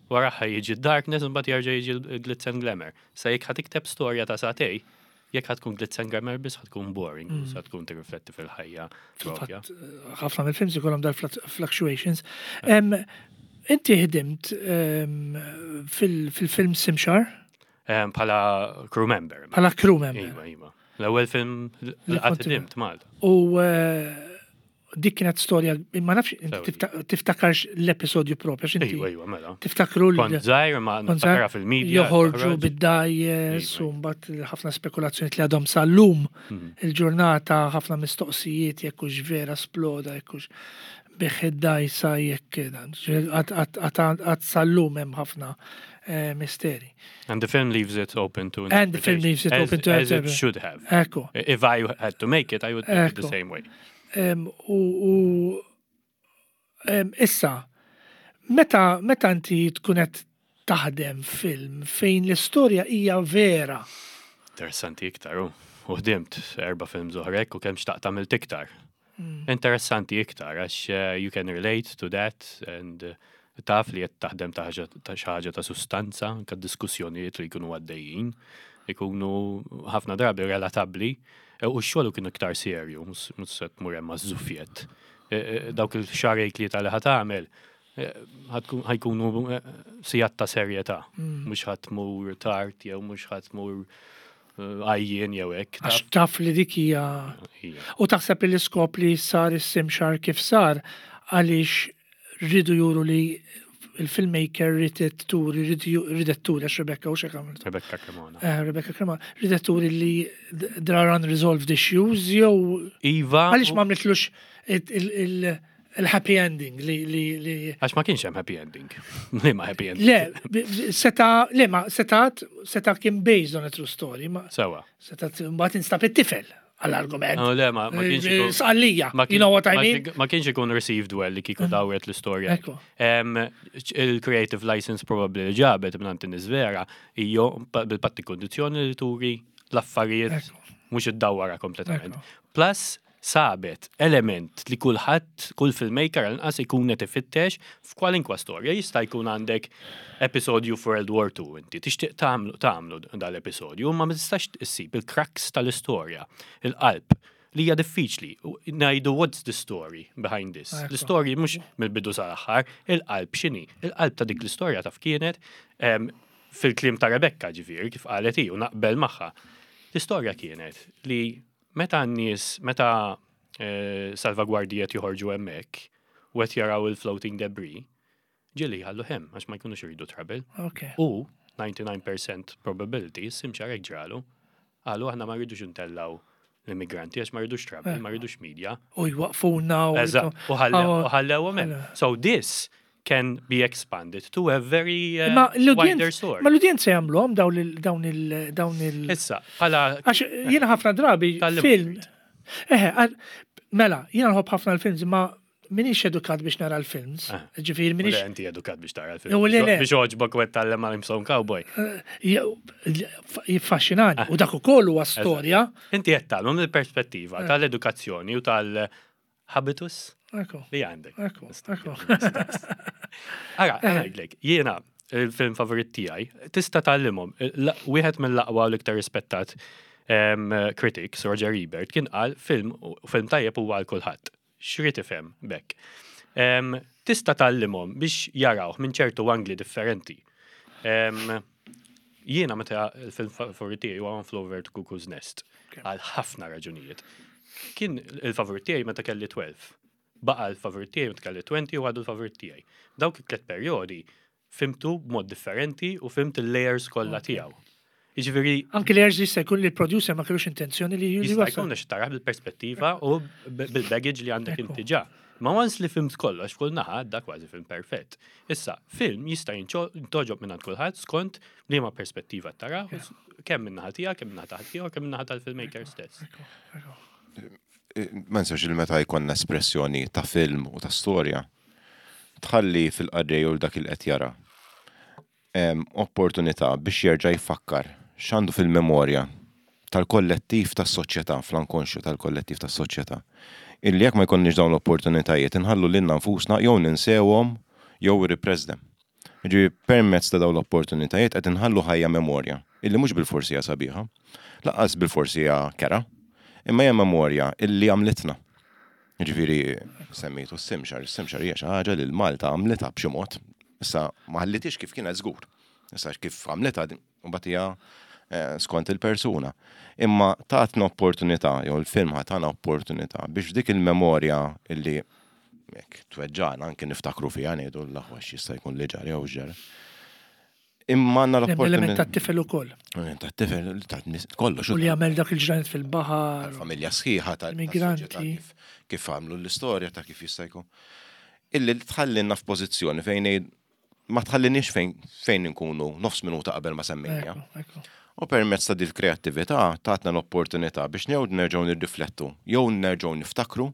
wara ħa jiġi darkness u mbagħad jerġa' jiġi l-glitz and glamour. Sa jekk ħa tikteb storja ta' sagħtejn, jekk ħa tkun glitz and glamour biss ħa tkun boring, mm. sa tkun tirrifletti fil-ħajja propja. Fil-fatt, ħafna mill-films ikollhom dal-fluctuations. Em, Inti ħdimt em, fil- fil-film Simshar Um, Bħala crew member. bħala crew member. Iva, iva. L-ewwel film li Li qatt kont- ħdimt Malta. U eh, dik kienet storja, ma nafx inti Sewwa. tifta- tiftakarx l-episodju propju, għax inti Iva, iva, mela. tiftakru l- Kont żgħir ma Kont niftakarha żgħir, fil-media. joħorġu toħroġ. bid-dgħajjes Iva, u mbagħad ħafna spekulazzjoni li għadhom sal-lum Mhm. il-ġurnata ħafna mistoqsijiet jekk hux vera sploda jekk hux bih id-dgħajsa jekk dan. Għad sal-lum hemm ħafna eh, misteri. And the film leaves it open to And the film leaves it as, open to as it interpretation. should have. Ekku. If I had to make it, I would make it the Ekku. same way. Em, U u, em, issa, meta meta inti tkun qed taħdem film fejn l-istorja hija vera, Interessanti iktar, u u ħdimt erba' films oħra u kemm xtaqt għamilt iktar. Interessanti iktar, għax uh, you can relate to that and uh, taf li qed taħdem ta' ħaġa ta' xi ħaġa ta' sustanza, anke diskussjonijiet li jkunu għaddejjin. Ikunu ħafna drabi relatabbli eh, u x-xogħol kienu iktar serju, mhux mhux se tmur hemm żufjett. Dawk il-xahrejn li tal ħa tagħmel eh, ħa tkun- ħa jkunu eh, sigħat ta' serjetà. Mhux ħa tmur tard jew mhux ħa tmur eh, għajjien jew hekk. Għax taf li dik hija. Hija. U taħseb li l-iskop li sar is-simxar kif sar għaliex ridu juru li il-filmmaker ridet turi, ridet turi, għax Rebecca u xek għamlet. Rebecca Cremona. Eh, Rebecca Cremona, ridet turi li there are unresolved issues, jew Iva. għaliex ma għamlitlux il-happy ending li li li Għax ma kienx hemm happy ending. Li ma happy ending. Le, b- seta, le, ma setat, seta kien based on a true story, ma Sewa. setat mbagħad instab it-tifel għall-argument. No, le, ma ma kienx ikun. Sqallija, ma you know what I ma mean? kien- Ma kienx ikun received well li kieku dawret l-istorja. Ekku. Em, Il-creative license probably li ġabet minn vera hija bil-patti kondizjoni li turi l-affarijiet Ekku. mhux id-dawwara kompletament. Ekku. Plus sabet element li kulħadd, kull filmmaker għal-inqas ikun qed ifittex f'kwalinkwa storja. Jista' jkun għandek episodju for World War Two inti tixtieq tagħmlu tagħmlu dal-episodju, ma ma tistax issib il-crux tal-istorja, il-qalb li hija diffiċli. U Ngħidu what's the story behind this? Ekku. L-istorja mhux mill-bidu sal-aħħar, il-qalb x'inhi? Il-qalb ta' dik l-istorja taf kienet em, fil-kliem ta' Rebecca ġifieri kif qalet hi u naqbel magħha. L-istorja kienet li meta n-nies, meta eh, salvagwardijiet joħorġu hemmhekk u qed jaraw il-floating debris, ġieli jħallu hemm għax ma jkunux iridu trouble. Ok. U ninety-nine percent probability, simxar hekk ġralu, qalu aħna ma rridux intellaw l-immigranti għax ma rridux trouble, ma rridux media. U jwaqfuna u. Eżatt, u ħallew hemm. So this can be expanded to a very uh, Ma wider story. Ma l-udjenza jagħmluhom dawn il dawn il dawn il Issa, bħala Għax jiena ħafna drabi Tal-lim- film. Eħe, għal- mela, jiena nħobb ħafna l-films, ma minix edukat biex nara l-films. Ah. Ġifieri Le, minix inti edukat biex tara l-film. Jo, le, le. Biex oġbok u tallem għal Imson Cowboy. Jiffaxxinani. Ah. U dak ukoll huwa storja. Inti qed tgħallmu mill-perspettiva tal-edukazzjoni u tal-habitus Ekku, li għandek. ekku, ekku. Ara, ngħidlek, jiena il-film favorit tiegħi tista' tgħallimhom. La- Wieħed mill-aqwa u l-iktar rispettat em, critics, Roger Ebert, kien qal film film tajjeb huwa għal kulħadd. X'rid ifhem bekk. Em, Tista' tgħallimhom biex jarawh minn ċertu angli differenti. Em, Jiena meta il-film favorit tiegħi huwa One Flew Over the Cuckoo's Nest għal ħafna raġunijiet. Kien il-favorit tiegħi meta kelli tnax. Baqa l-favorit tiegħi meta kelli għoxrin u għadu l-favorit tiegħi. Dawk it-tlet perjodi fhimtu b'mod differenti u fhimt il-layers kollha tiegħu. Jiġifieri Anki li jerġi jista' jkun li l-producer ma kellux intenzjoni li jista' jwassal. jkun għax taraħ bil-perspettiva u b- bil-baggage li għandek Ekku. inti ġa. Ma once li fhimt kollox f'kull naħa, da kważi film perfett. Issa, film jista' jintogħġob minn għand kulħadd skont liema perspettiva tara, kemm minn naħa tiegħek, kemm minn naħa tiegħek, kemm minn naħa tal-filmmaker stess. Ma nsewx il meta jkollna espressjoni ta' film u ta' storja, tħalli fil-qarrej u dak il qed jara em, opportunità biex jerġa' jfakkar x'għandu fil-memorja tal-kollettiv tas-soċjetà, fl-ankonxju tal-kollettiv tas-soċjetà. Illi jekk ma jkollniex dawn l-opportunitajiet inħallu lilna nfusna jew ninsewhom jew repress them. Ġifieri permezz ta' dawn l-opportunitajiet qed inħallu ħajja memorja illi mhux bil-forsi hija sabiħa, lanqas bil-forsi hija kerha, imma hija memorja illi għamlitna. Ġifieri semmejtu s-simxar, s-simxar hija xi ħaġa li l-Malta għamlitha b'xi mod. Issa ma ħallitix kif kienet żgur. Issa kif għamlitha mbagħad hija eh, skont il-persuna. Imma tatna opportunità, jew il-film tana opportunità biex dik il-memorja illi jekk tweġġana anke niftakru fiha ngħidu l-aħwa x'jista' jkun li ġara jew ġara. Imma għandna Hemm element l-opportunità. tat-tifel ukoll. Ta' tifel, ta' nis- kollox. U li għamel dak il-ġranet fil-baħar. Familja sħiħa ta' Immigranti. tas-soċjetà kif, kif għamlu l-istorja ta' kif jista' jkun. Illi tħallinna f'pożizzjoni fejn ngħid- ma tħallinniex fejn fejn nkunu nofs minuta qabel ma semmejna. Ekku, ekku. U permezz ta' dil kreattività tatna l-opportunità biex jew nerġgħu nirriflettu, jew nerġgħu niftakru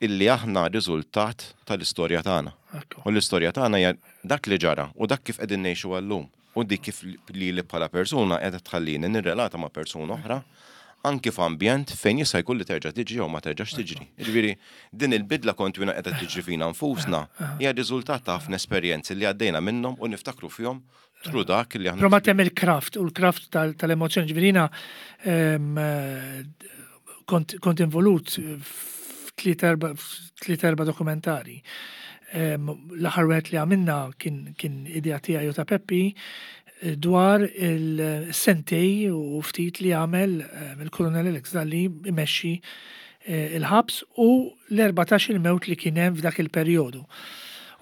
illi aħna riżultat tal-istorja tagħna. Ekku. U l-istorja tagħna hija dak li ġara u dak kif qegħdin ngħixu għallum. U dik kif li li bħala persuna qiegħda tħallini nirrelata ma' persuna oħra anki f'ambjent fejn jista' jkun li terġa' tiġi jew ma terġax tiġri. Jiġifieri din il-bidla kontinwa qiegħda tiġri fina nfusna hija riżultat ta' ħafna esperjenzi li għaddejna minnhom u niftakru fihom Through dak li aħna. Però ma hemm il-craft u l-craft tal- tal-emozjoni. Ġifieri jiena em, eh, kont kont involut f'tliet erba' f'tliet erba' dokumentari. Em, L-aħħar wieħed li għamilna kien kien idea tiegħi u ta' Peppi eh, dwar il-sentejn u ftit li għamel em, il-Kolonel Alex Dalli imexxi eh, il-ħabs u l-erbatax il-mewt li kien hemm f'dak il-perjodu.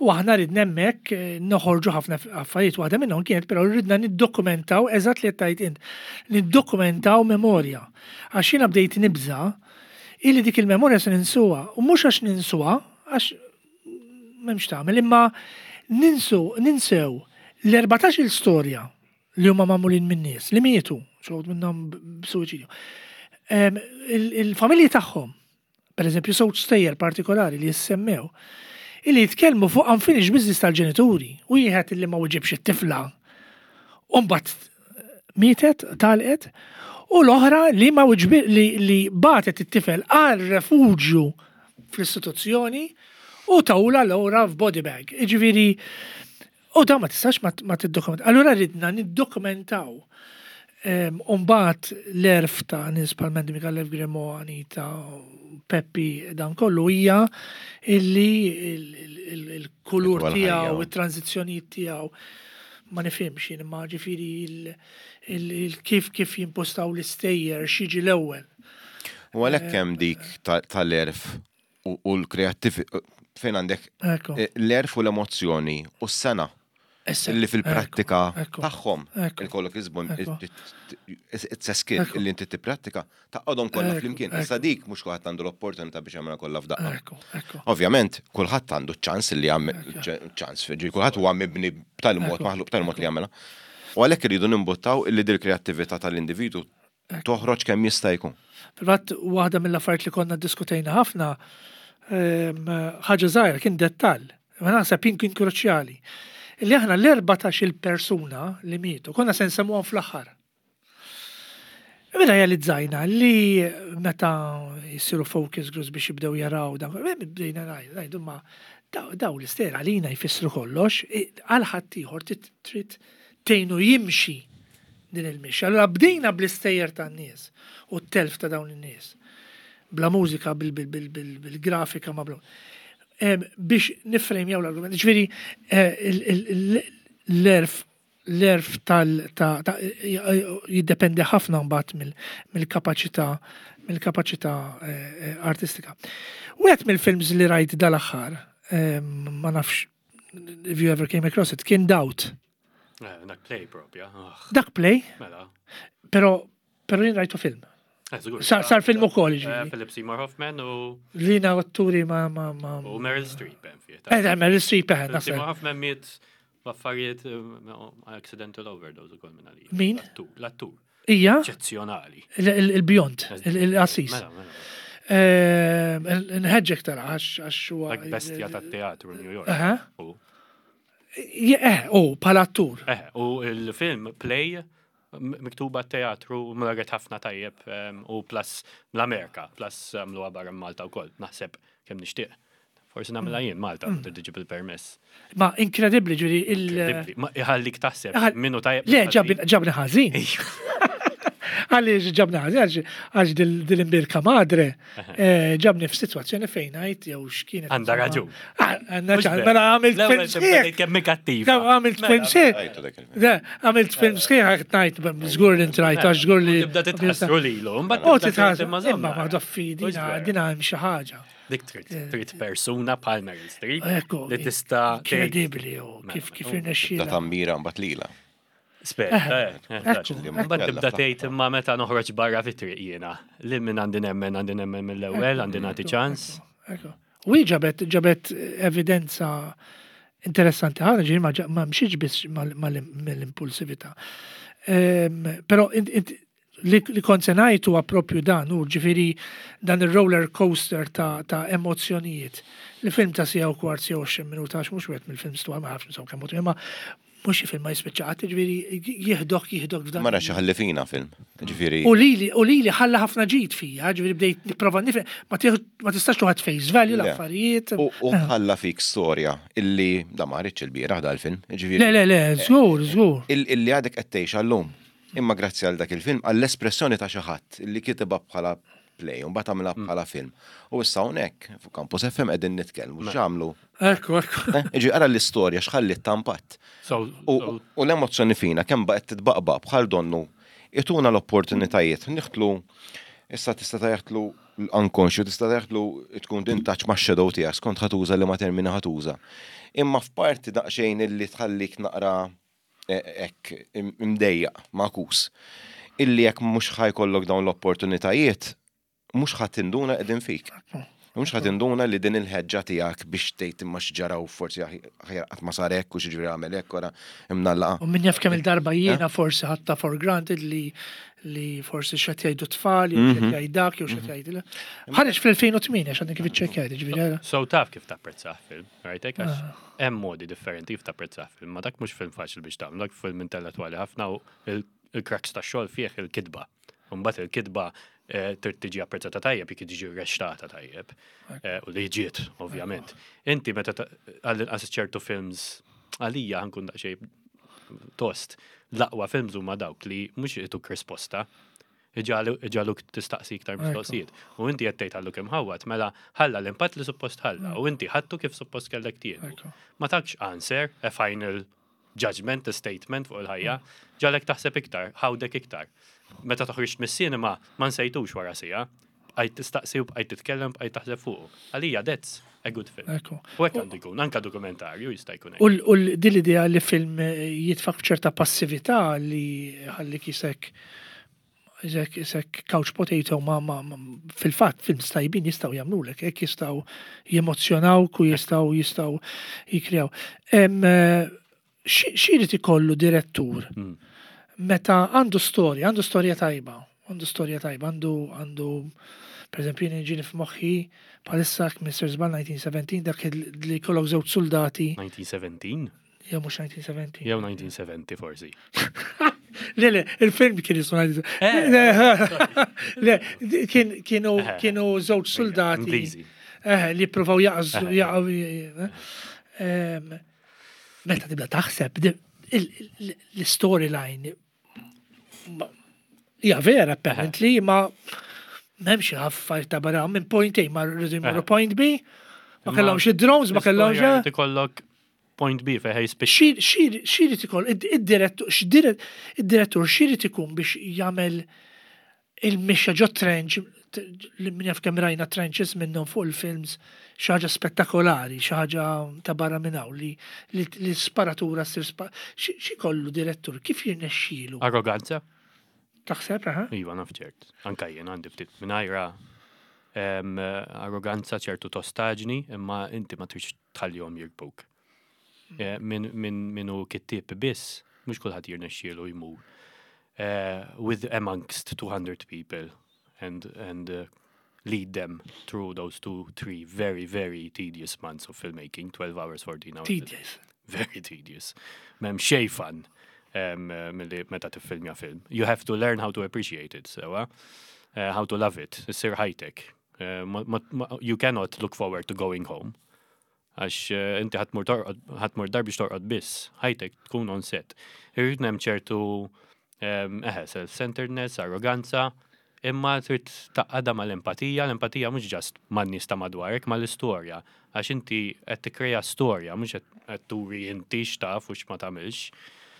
U aħna ridna hemmhekk eh, noħorġu ħafna affarijiet, waħda minnhom kienet però ridna niddokumentaw eżatt li qed tgħid int, niddokumentaw memorja. Għax jiena bdejt nibża illi dik il-memorja se ninsuha u mhux għax ninsuha, għax m'hemmx tagħmel, imma ninsu ninsew l-erbatax il-storja li huma magħmulin minn nies li mietu, xi wħud minnhom b'suwiċidju. Em, il- Il-familji tagħhom, per eżempju, żewġ stejjer partikolari li jissemmew, illi jitkellmu fuq unfinished business tal-ġenituri, u wieħed illi ma wieġibx it-tifla, u mbagħad mietet, telqet, u l-oħra li ma wieġbi li, li bagħtet it-tifel għal refuġju fl-istituzzjoni u tawla l-ora f'body bag. Iġifieri, u da ma tistax ma, ma tiddokumenta. Allura ridna niddokumentaw. Um, Umbagħad l-għerf ta' nies bħal Mandy Micallef Grimo, Anita, Peppi, dan kollu hija illi il-kulur Itwal tiegħu, ħajja. it-tranzizzjonijiet tiegħu ma nifhimx jien imma ġifieri il- il- il- kif kif jimpostaw l-istejjer x'jiġi l-ewwel. U għalhekk hemm dik ta- tal-għerf u u l-kreattiv fejn għandek Ekku. eh, l-għerf u l-emozjoni u s-sengħa Issa, illi fil-prattika ekku, tagħhom ekku. il-kollok iżbun Ekku. it's a skill Ekku. illi inti tipprattika taqgħodhom kollha Ekku, flimkien. ekku. Issa dik mhux kulħadd għandu l-opportunità biex jagħmilha kollha f'daqqa. Ekku, ekku. Ovvjament, kulħadd għandu ċans li jagħmel ċans, ġi kulħadd huwa mibni b'tal mod Ekku. maħluq b'tal mod li jagħmilha. U għalhekk iridu nimbuttaw illi dil kreattività tal-individu toħroġ kemm jista' jkun. Fil-fatt, waħda mill-affarijiet li konna diskutejna ħafna, em, ħaġa żgħira kien dettall, ma naħseb jien kien kruċjali. Illi aħna l-erbatax il-persuna li mietu, konna se nsemmuhom fl-aħħar. Mela realizzajna li meta jisiru focus groups biex jibdew jaraw dan, bdejna ngħidu ma daw daw l-istejjer għalina jfissru kollox, i- għal ħaddieħor trid trid tgħinu jimxi din il-mixja. Allura bdejna bl-istejjer tan-nies u t-telf ta' dawn in-nies. Bla mużika, bil-grafika, ma bla. Em, biex nifrejmjaw l-argument. Ġifieri, eh, il- il- il- l-għerf l-għerf tal ta' ta' jiddependi ħafna mbagħad mill- mill-kapaċità mill-kapaċità eh, eh, artistika. Wieħed mill-films li rajt dal-aħħar, em, ma nafx if you ever came across it, kien Doubt. Eh, Dak play propja. Ah, Dak play, Mela. pero pero jien rajtu film. Eh, żgur. Sar, sar film ukoll Eh, ġifieri. Philip Seymour Hoffman u Lina atturi ma ma ma. u Meryl Streep hemm fih. Eh, Meryl Streep eh, Philip naħseb. Seymour Hoffman miet b'affarijiet eh, accidental overdose ukoll minn għalija. Min? L-attur. L-attur. Ija, Eċċezzjonali. il- il- il-beyond, il- il-qassis. Mela, mela. Eh, Nħeġġek tara għax għax huwa. Dak bestja tat-teatru New York. Aha. U- Eh, u bħala attur. Eh, u il-film Play m- miktuba teatru marret ħafna tajjeb em, u plus l-Amerika, plus għamluha barra Malta u koll, naħseb kemm nixtieq. Forsi nagħmilha jien Malta, Mm. tiġi bil-permess. Ma inkredibbli ġifieri il. Incredibbli. Ma iħallik taħseb Iħall- minnu tajjeb. Le, ġabni ġabni ħażin. Għaliex ġabni ħażin, għax- għax dil- dil-imbierka madre eh, ġabni f'sitwazzjoni fejn għajt jew x'kienet. Għandha raġun. Ah, Għandha raġun, mela għamilt film sħiħ. Kemm kattiva. Kemm għamilt film sħiħ. Rajtu dak il-film. Le, għamilt film sħiħ għax ngħid, żgur li intrajt, għax żgur li. Tibda titħassru lilu, mbagħad U tibda titħassru, tgħid, imma żomm imma ma nara. doffi, Mhux dina vera. dina hemm xi ħaġa. Dik trid trid persuna bħal Meryl Streep Ekku, li tista' tgħid- Inkredibbli, u kif kif Da irnexxiela. tammira mbagħad lila. Spetta, eh, eh, Ekku, eżatt. ekku. Mbagħad tibda tgħid imma meta noħroġ barra fit-triq jiena. Li minn għandi nemmen, għandi nemmen mill-ewwel, għandi nagħti ċans. Ekku. U hi ġabet ġabet evidenza interessanti ħafna ġifieri ma ġa- ma mxiex biss mal- mal- mill-impulsività. Ehm, Però int- int- li, li kont se ngħid huwa propju dan, u ġifieri dan il-roller coaster ta', ta' emozjonijiet. Li film ta' siegħa u kwart siegħa u għoxrin minuta, għax mhux wieħed mill-films twal ma nafx insomma kemm imma Mhux xi film ma jispiċċa qatt, ġifieri jieħdok jieħdok f'dan. Mara xi ħalli fina film. Ġifieri. U lili u lili ħalla ħafna ġid fija, ġifieri bdejt nipprova nifhem, ma tieħu- ma tistax tuħad face value Le. l-affarijiet. U u ħalla fik storja illi da ma rridx il-bieraħ dal-film. Ġifieri. Le, le, le, żgur, żgur. il- illi għadek qed tgħix għallum. Imma grazzi għal dak il-film, għall-espressjoni ta' xi ħadd illi kitibha bħala play, u mbagħad għamilha bħala film. U issa hawnhekk fuq Campus F M qegħdin nitkellmu x'għamlu. Ekku, ekku. Eh, Iġi ara l-istorja x'ħalli impatt. So, U so u l-emozzjoni fina kemm baqgħet titbaqbaq bħal donnu ituna l-opportunitajiet niħtlu, issa tista' taħtlu l-unconscious, tista' taħtlu tkun in touch ma' shadow tiegħek skont ħa tuża li ma termini ħa tuża. Imma f'parti daqsxejn illi tħallik naqra eh, hekk im- imdejjaq makus. Illi jekk mhux ħa jkollok dawn l-opportunitajiet, mhux ħa tinduna qegħdin fik. Mhux ħa tinduna li din il-ħeġġa tiegħek biex tgħid imma x'ġara u forsi aħjar qatt ma sar hekk u x'ġifieri għamel hekk wara imnallaqa. U min jaf kemm il-darba jiena forsi ħadtha for granted li li forsi x'qed jgħidu tfal, jew x'qed jgħid dak, jew x'qed jgħid. Ħareġ fl-elfejn u tmienja, x'għadni kif iċċekkjajt, ġifieri ara. So taf kif tapprezzah film, right? Hekk għax hemm modi differenti kif tapprezzah film, ma dak mhux film faċli biex tagħmel, dak film intellettwali ħafna u il- il-crux tax-xogħol fih il-kitba. U mbagħad il-kitba eh, trid tiġi apprezzata tajjeb jekk tiġi reċtata tajjeb. Eh, U li ġiet, ovvjament. Inti meta ta- għall-inqas ċertu films għalija, ħa nkun daqsxejn tost, l-aqwa films huma dawk li mhux ituk risposta, iġagħluk tistaqsi iktar mistoqsijiet. U inti qed tgħid għallu kemm ħawat, mela ħalla l-impatt li suppost ħalla, u inti ħadtu kif suppost kellek tieħdu. Ekku. Ma takx answer, a final judgment, a statement fuq il-ħajja, ġagħlek taħseb iktar, ħawdek iktar. Meta toħroġ mis-cinema, ma nsejtux wara siegħa, bqajt tistaqsi u bqajt titkellem, bqajt taħseb fuq. Għalija, that's a good film. Ekku. U hekk għandu jkun, anka dokumentarju jista' jkun hekk. U l- u l- din l-idea li film jitfak ċerta passività li ħallik jisek jisek jisek couch potato ma, ma, ma fil-fatt films tajbin jistgħu jagħmlulek, hekk jistgħu jemozzjonawk u jistgħu jistgħu jikrew. Em, eh, xi xi ikollu direttur Mm. meta għandu storja, għandu storja tajba, għandu storja tajba, għandu għandu per eżempju jien ġini f'moħħi bħalissa Mister Żball elf disa' mija u sbatax dak il- li kollok żewġ soldati elf disa' mija u sbatax? Jew mhux elf disa' mija u sebgħin. Jew elf disa' mija u sebgħin forsi. Le, le, il-film kien jismu Eh, Le, kien- kienu Eh. kienu żewġ soldati Ingliżi. eh, li provaw jaqżu Eh. jaqgħu em, Meta tibda taħseb di- il- il- l-storyline ma- hija vera apparently, ma m'hemmx affarijiet ta' barra minn point A ma rridu jmorru Eh. point B, ma Imma kellhomx id-drones, ma kellhomx l-istorja jrid ikollok point B fejn jispiċċa. X'irid ikoll id-direttur id-direttur x'irid ikun biex jagħmel il-mixja ġo trench li min jaf kemm rajna trenches minnhom fuq il-films, xi ħaġa spettakolari, xi ħaġa ta' barra minn hawn li li li sparatura ssir spa xi xi kollu direttur kif jirnexxielu? Arroganza? Taħseb, aha? Iva, naf ċert. Anka jien għandi ftit mingħajra em, arroganza, ċertu tostaġni, imma inti ma tridx tħallihom jirbuk. Eh, Min min minu kittieb biss, mhux kulħadd jirnexxielu jmur eh, with amongst two hundred people and and uh, lead them through those two, three very, very tedious months of filmmaking, twelve hours, fourteen hours. Tedious. Very tedious. M'hemm xejn fun um, uh, milli meta tiffilmja film. You have to learn how to appreciate it, so, uh, uh, how to love it. Issir ħajtek. Uh, ma, ma, ma, you cannot look forward to going home. Għax uh, inti ħa tmur torqod, ħa tmur dar biex torqod biss. Ħajtek tkun on set. Irrid hemm ċertu um, eħe, self-centeredness, arroganza, imma trid tgħaqqadha mal-empatija, l-empatija mhux just man-nies ta' madwarek, mal-istorja. Għax inti qed tikkreja storja, mhux qed turi inti x'taf u x'ma tagħmilx.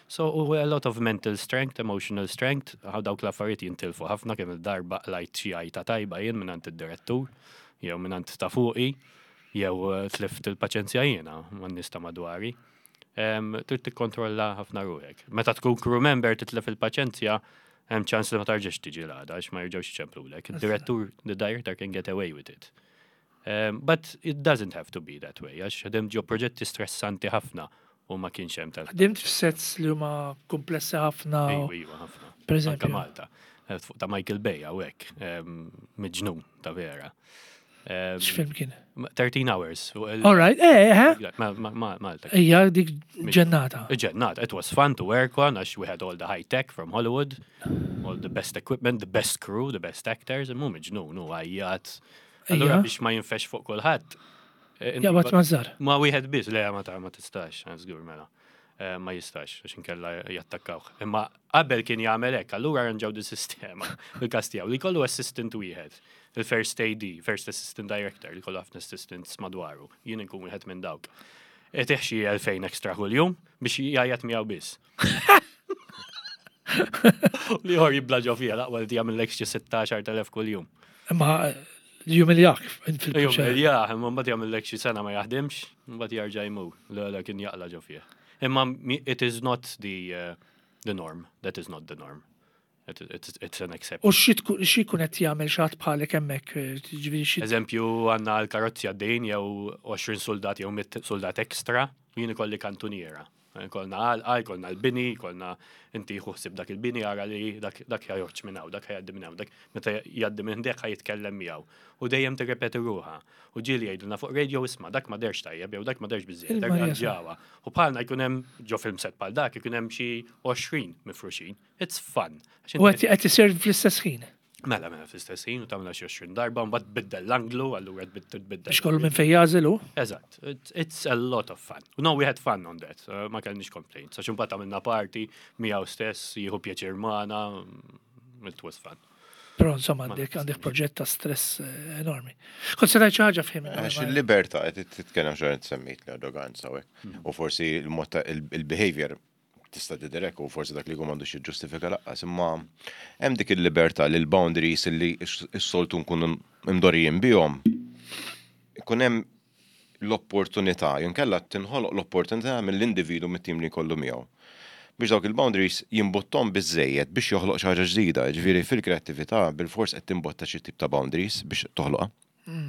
So u a lot of mental strength, emotional strength, għaw dawk l-affarijiet jintilfu ħafna. Kemm il-darba qlajt xi għajta tajba jien mingħand id-direttur, jew mingħand ta' fuqi, jew eh, tlift il-paċenzja jiena man-nies ta' madwari. Em, Trid tikkontrolla ħafna ruħek. Meta tkun crew member titlef il-paċenzja, hemm ċans li ma tarġax tiġi l-għada għax ma jerġgħux iċemplulek. Il-direttur, the director can get away with it. Um, but it doesn't have to be that way, għax ħdimt ġo proġetti stressanti ħafna u ma kienx hemm tal. Ħdimt f'sets li huma komplessi ħafna. Ejwa, ejwa, ħafna. Per eżempju. Anka Malta. Eh, Fuq ta' Michael Bay hawnhekk, miġnun ta' vera. Um, X'film kien? thirteen Hours. Fuq il- All right, eh, eh, Ma- ma- ma- Malta. Ija, dik ġennata. Ġennata. It was fun to work on, għax we had all the high tech from Hollywood, all the best equipment, the best crew, the best actors, mu miġnun, nu għajjat. Allura Ija. biex ma jinfex fuq kulħadd. eh, inti Jaqbad ba- mażżar. Ma wieħed biss, le, ma ta' ma tistax, żgur mela. Eh, Ma jistax, għax inkella jattakkawh. Imma qabel kien jagħmel hekk, allura arranġaw di sistema fil-każ tiegħu li jkollu assistant wieħed, il-first A D, first assistant director, li kollu ħafna assistants madwaru. Jien inkun wieħed minn dawk. Itih xi elfejn extra kuljum biex jgħajjat miegħu biss. Li ħor jibla ġo fija, laqwa li jagħmel xi sittax-il elf kuljum. Imma jumiljak fil-proċess. Ja, imma mbagħad jagħmel xi sena ma jaħdimx, mbagħad jarġa' jmur. Le, le, kien jaqla ġo fih. Imma mi- it is not the uh, the norm. That is not the norm. It, it's, it's an exception. U xi tkun xi jkun qed jagħmel xi ħadd bħalek hemmhekk, eh, ġifieri xi Eżempju, għandna l-karozzi għaddejn jew għoxrin soldat jew mitt soldat extra, u jien ikolli kantuniera. Kolna għalqa, jkollna l-bini, jkollna inti ħsib dak il-bini, għara li dak dak joħroġ minn hawn, dak jgħaddi minn hawn, dak meta jgħaddi minn dak jitkellem miegħu. U dejjem tirrepeti ruħha. U ġieli jgħidulna fuq radio, "Isma', dak ma derx tajjeb jew dak ma derx biżejjed, dak Il-Marja. ġawa." U bħalna jkun hemm ġo film set bħal dak ikun hemm xi għoxrin mifruxin. It's fun. Għax U inti qed qed isir fl-istess ħin. Mela, mela, fl-istess ħin u tagħmilha xi għoxrin darba, mbagħad tbiddel l-anglu, allura tbiddel tbiddel. Biex kollu minn fejn jażel hu. Eżatt, it's, it's a lot of fun. No, we had fun on that, uh, ma kellniex complaints. Għax imbagħad għamilna party miegħu stess, jieħu pjaċir magħna, mm, it was fun. Però insomma għandek għandek proġett ta' stress eh, enormi. Kont se tgħid xi ħaġa, fim. Għax il-libertà, qed titkellem xorta semmejt l-arroganza u hekk. U forsi il-mod ta' il-behavior tista' tidherek u forsi dak li jkun m'għandux jiġġustifika laqqas, imma hemm dik il-libertà li l-boundaries li s-soltu nkunu imdorijin bihom ikun hemm l-opportunità, jinkella tinħoloq l-opportunità mill-individu, mit-tim li jkollu miegħu, biex dawk il-boundaries jimbottom biżejjed biex joħloq xi ħaġa ġdida. Ġifieri fil-kreattività bil-fors qed timbotta xi tip ta' boundaries biex toħloqha.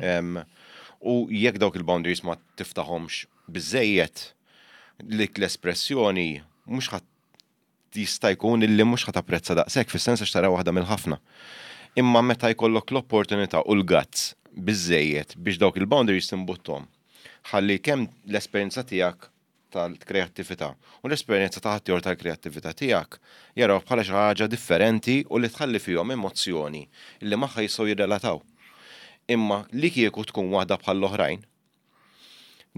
Em, U jekk dawk il-boundaries ma tiftaħomx biżejjed, dik l-espressjoni mhux ħadd jista' jkun illi mhux ħa tapprezza daqshekk, fis-sens għax tara waħda mill-ħafna. Imma meta jkollok l-opportunità u l-guts biżejjed biex dawk il-boundaries timbuttom, ħalli kemm l-esperjenza tiegħek tal-kreattività u l-esperjenza ta' ħaddieħor tal-kreattività tiegħek jaraw bħala xi ħaġa differenti u li tħalli fihom emozzjoni li magħha jistgħu jirrelataw. Imma li kieku tkun waħda bħall-oħrajn,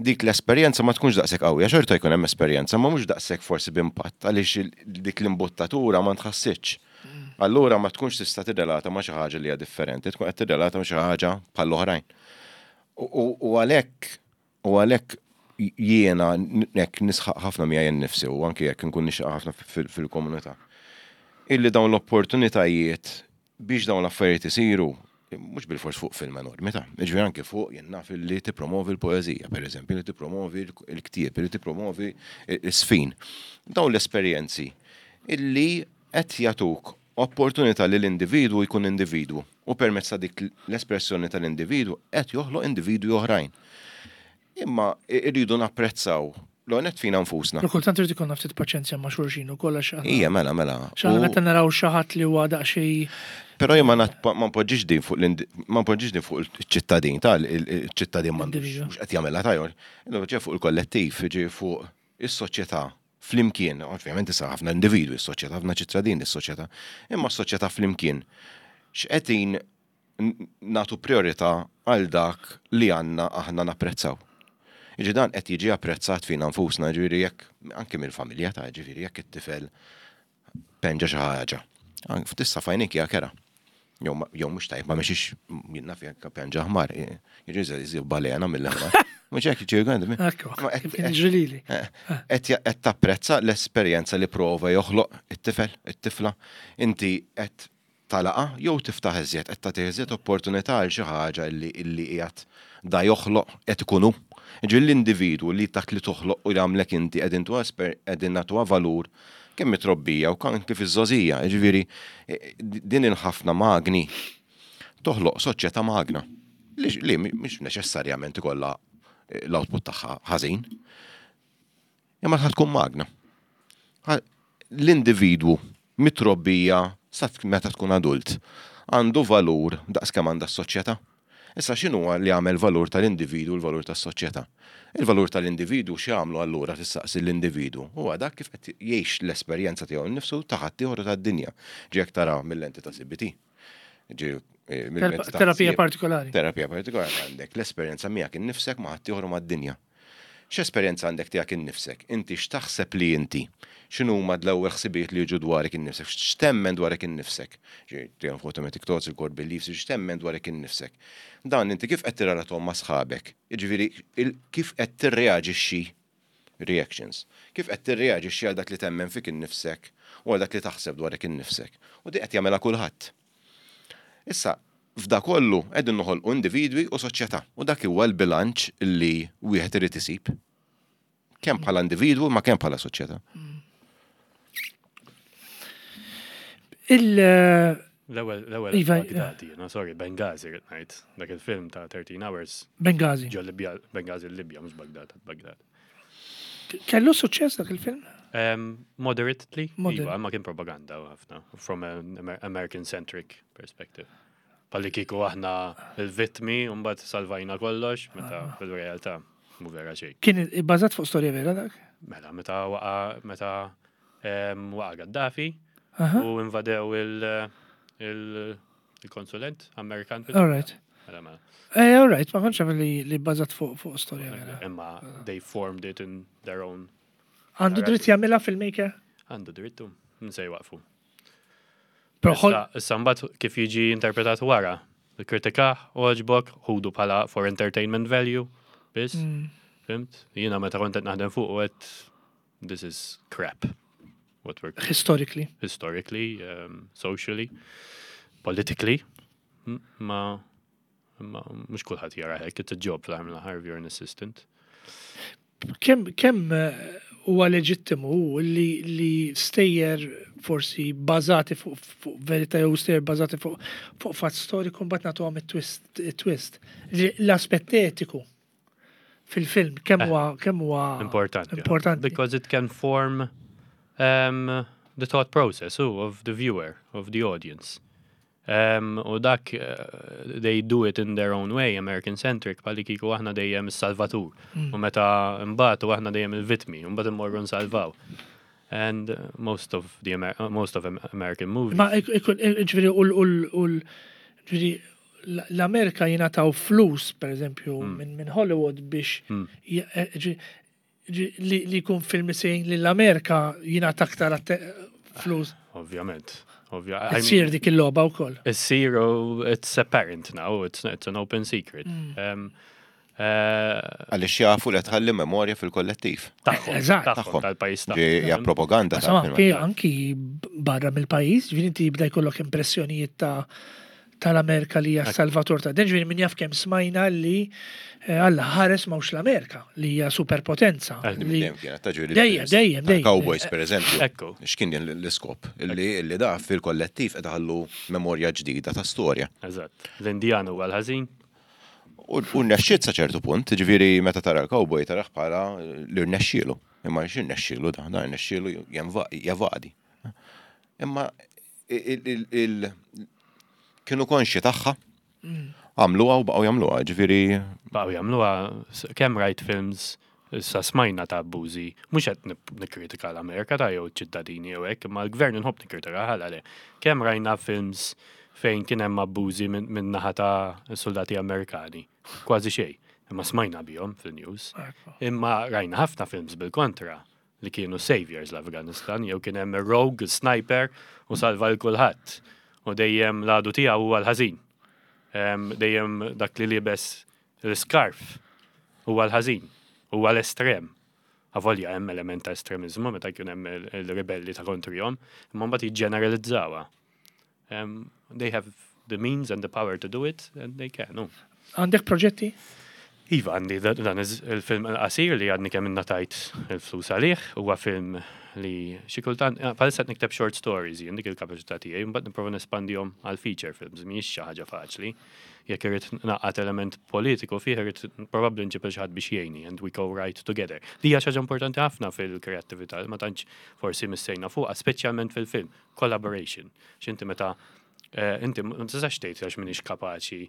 dik l-esperjenza ma tkunx daqshekk qawwija, xorta jkun hemm esperjenza, ma mhux daqshekk forsi b'impatt għaliex il- dik l-imbuttatura ma tħassitx. Allura ma tkunx tista' tirrelata ma' xi ħaġa li hija differenti, tkun qed tirrelata ma' xi ħaġa bħall-oħrajn. U- U u għalhekk u għalhekk jiena hekk nisħaq ħafna miegħi nnifsi u anke jekk nkun nixaq ħafna fil- fil-komunità, illi dawn l-opportunitajiet biex dawn l-affarijiet isiru, mhux bil-fors fuq film enormi ta' ġifieri anke fuq jien naf li tippromovi l-poeżija, per eżempju, li tippromovi l-ktieb, li tippromovi l-sfin. Dawn l-esperjenzi illi qed jagħtuk opportunità li l-individwu jkun individwu u permezz ta' dik l-espressjoni tal-individwu qed joħloq individwi oħrajn. Imma irridu napprezzaw l-onet fina nfusna. Però kultant irid ikollna ftit paċenzja ma' xulxin u kollha xi Ija, mela, mela. Xaħna U- meta naraw xi ħadd li huwa daqsxejn Però jien ma nat- ma npoġġix din fuq l ma npoġġix din fuq il-ċittadin tal il-ċittadin m'għandux Individwu. mhux qed jagħmilha tajjor. Ġej fuq il-kollettiv, ġej fuq is-soċjetà flimkien, ovvjament issa ħafna individwi s-soċjetà, ħafna ċittadini s-soċjetà, imma s-soċjetà flimkien. X'qegħdin n- nagħtu priorità għal dak li għandna aħna napprezzaw? Iġi dan qed jiġi apprezzat fina nfusna, ġifieri jekk anke mill-familja ta' ġifieri jekk it-tifel penġa xi ħaġa. An- Tista' fajnik hija kera. Jew ma- jew mhux tajb, ma mexix jien naf jekk penġa ħmar, jiġi żi balena mill-aħmar. Mhux hekk jiġi għandi. Ekku, Ma qed- kif kien jiġri lili. Qed ja- qed tapprezza l-esperjenza li prova joħloq it-tifel, it-tifla. Inti qed talaqa jew tiftaħ iżjed, qed tagħti iżjed opportunità għal xi ħaġa illi illi qiegħed da joħloq qed ikunu. Ġi l-individwu li dak li toħloq u jagħmlek inti qegħdin tuha esper- qegħdin nagħtuha valur kemm mitrobbija u kan kif iż-żożija. Ġifieri eh, din il-ħafna magni toħloq soċjetà magna li li mhix neċessarjament ikollha eh, l-output tagħha ħażin. Imma ħa tkun magna. Ħa- L-individwu mitrobbija sa meta tkun adult għandu valur daqs kemm għandha s-soċjetà. Issa x'inhu li għamel valur tal-individu u l-valur tas-soċjetà? Il-valur tal-individu x'jagħmlu allura tistaqsi l-individu? Huwa dak kif qed jgħix l-esperjenza tiegħu nnifsu ta' ħaddieħor u tad-dinja. Ġie jekk tara mill-lenti ta' C B T. Ġie eh, mill-lenti ta' Terapija ħsieb. partikolari. Terapija partikolari għandek l-esperjenza miegħek innifsek, ma' ħaddieħor u mad-dinja. X'esperjenza għandek tiegħek innifsek? Inti x'taħseb li inti? X'inhu huma l-ewwel ħsibijiet li jiġu dwarek innifsek? X'temmen dwarek innifsek? Ġi, tiegħu fuq automatic thoughts, il-core beliefs, x'temmen dwarek innifsek? Dan inti kif qed tirrelatom ma' sħabek? Jiġifieri il- kif qed tirreaġixxi, reactions. Kif qed tirreaġixxi għal dak li temmen fik innifsek u għal dak li taħseb dwarek innifsek? U di qed jagħmilha kulħadd. Issa, f'da kollu qegħdin noħolqu individwi u soċjetà. U dak huwa l-bilanċ li wieħed irid isib. Kemm bħala individwu ma kemm bħala soċjetà. Il- L-ewwel, l-ewwel Iva, Baghdadi, no, sorry, Benghazi rrid ngħid. Dak il-film ta' thirteen Hours Benghazi. Ġo Libja, Benghazi Libja, mhux Baghdad, Baghdad. Kellu suċċess dak il-film? Um, moderately, Moderate. iva, ma kien propaganda ħafna, from an Amer- American-centric perspective. Palli kieku aħna il-vittmi, u mbagħad salvajna kollox, meta Ah. fil-realtà mhu vera xejn. Kien ibbażat fuq storja vera dak? Mela, meta waqa, meta em, waqa Gaddafi Aha. u invadew il- il- il-konsulent Amerikan fil All right. Mela, mela. Eh, all right, ma kontx naf li li bbażat fuq fuq storja vera. Imma they formed it in their own. Għandu dritt jagħmilha filmmaker? Għandu drittu, min se jwaqfu. Però ħol Issa issa mbagħad kif jiġi interpretat wara, kritika għoġbok, ħudu bħala for entertainment value, biss, Mm. fhimt? Jiena meta kont qed naħdem fuq u għedt this is crap. What we're historically. Historically, um, socially, politically, M- ma ma mhux kulħadd jara hekk, it's a job fl-aħħar mill-aħħar if you're an assistant. Kemm kemm eh, huwa leġittimu li li stejjer forsi bażati fuq fuq verità jew stejjer bażati fuq fuq fatt storiku mbagħad nagħtuhom it-twist it-twist. Li- L-aspett etiku fil-film kemm huwa kemm huwa Importanti. Importanti. Because it can form um, the thought process, oh, of the viewer, of the audience. Um, u dak, uh, they do it in their own way, American-centric, palli kieku aħna dejjem is-salvatur. Mm. U meta mbagħad u aħna dejjem il-vitmi, u mbagħad immorru nsalvaw. And uh, most of the Amer most of Am- American movies. Ma ik- ikun ġifieri u l- u l- ġifieri l- l-Amerika jingħataw flus, per eżempju, minn min Hollywood biex j- eh, ġi- ġi- li li jkun film sejn li l-Amerika jingħata aktar atte- flus. Ovvjament. Ovvja I mean, Issir dik il-logħba wkoll. It's zero, it's apparent now, it's, it's an open secret. Um, uh, Għaliex jafu li tħalli memorja fil-kollettiv. Tagħhom, Eżatt. tagħhom, tal-pajjiż Ġi hija tagħhom. propaganda Insomma, ta' anki anki barra mill-pajjiż, ġifieri inti jibda jkollok impressjonijiet ta' tal-Amerika li hija salvatur ta' ġifieri min jaf kemm smajna li eh, Alla ħares mawx l-Amerika li hija superpotenza. Eh, li- Dejjem kienet ta' ġifieri Dejjem, films dejjem, ta' dejjem. Cowboys, per eżempju. Ekku. X'kien din l-iskop? Illi illi da fil-kollettiv qed iħallu memorja ġdida ta' storja. Eżatt. L-Indjan huwa l-ħażin. U u rnexxiet sa ċertu punt, ġifieri meta tara l-cowboy tarah bħala li rnexxielu. Imma x'irnexxielu da, da rnexxielu jenva- jevadi. Imma il- il- il- kienu konxi tagħha, għamluha u baqgħu jagħmluha, ġifieri Baqgħu jagħmluha s- kemm rajt films issa smajna ta' abbużi, mhux qed nip- nikkritika l-Amerika ta' jew ċittadini jew hekk, imma l-gvern inħobb nikkritika ħala le. Kemm rajna films fejn kien hemm abbużi minn min naħa ta' soldati Amerikani. Kważi xejn, imma smajna bihom fil-news. Imma rajna ħafna films bil-kontra li kienu saviors l-Afganistan, jew kien hemm rogue sniper u salva l kulħadd. U dejjem l-għadu tiegħu huwa l-ħażin. Em, Dejjem dak li libes l-scarf huwa l-ħażin, huwa l-estrem. Avolja hemm element ta' estremizmu meta jkun hemm il- il-ribelli ta' kontrihom, imma mbagħad jiġġeneralizzawha. Um, they have the means and the power to do it, and they can. No. Għandek proġetti? Iva, għandi da- dan iż- il-film qasir li għadni kemm innatajt il-flus għalih, huwa film li xi kultant, eh, bħalissa qed nikteb short stories, jien dik il-kapaċità tiegħi, mbagħad nipprova nespandihom għal feature films, mhijiex xi ħaġa faċli. Jekk irid naqgħad element politiku fih irid probabbli nġib xi ħadd biex jgħinni and we co-write together. Li hija xi ħaġa importanti ħafna fil-kreattività, ma tantx forsi missejna fuqha, speċjalment fil-film, collaboration. X'inti meta Eh, Inti ma tistax tgħid għax m'iniex kapaċi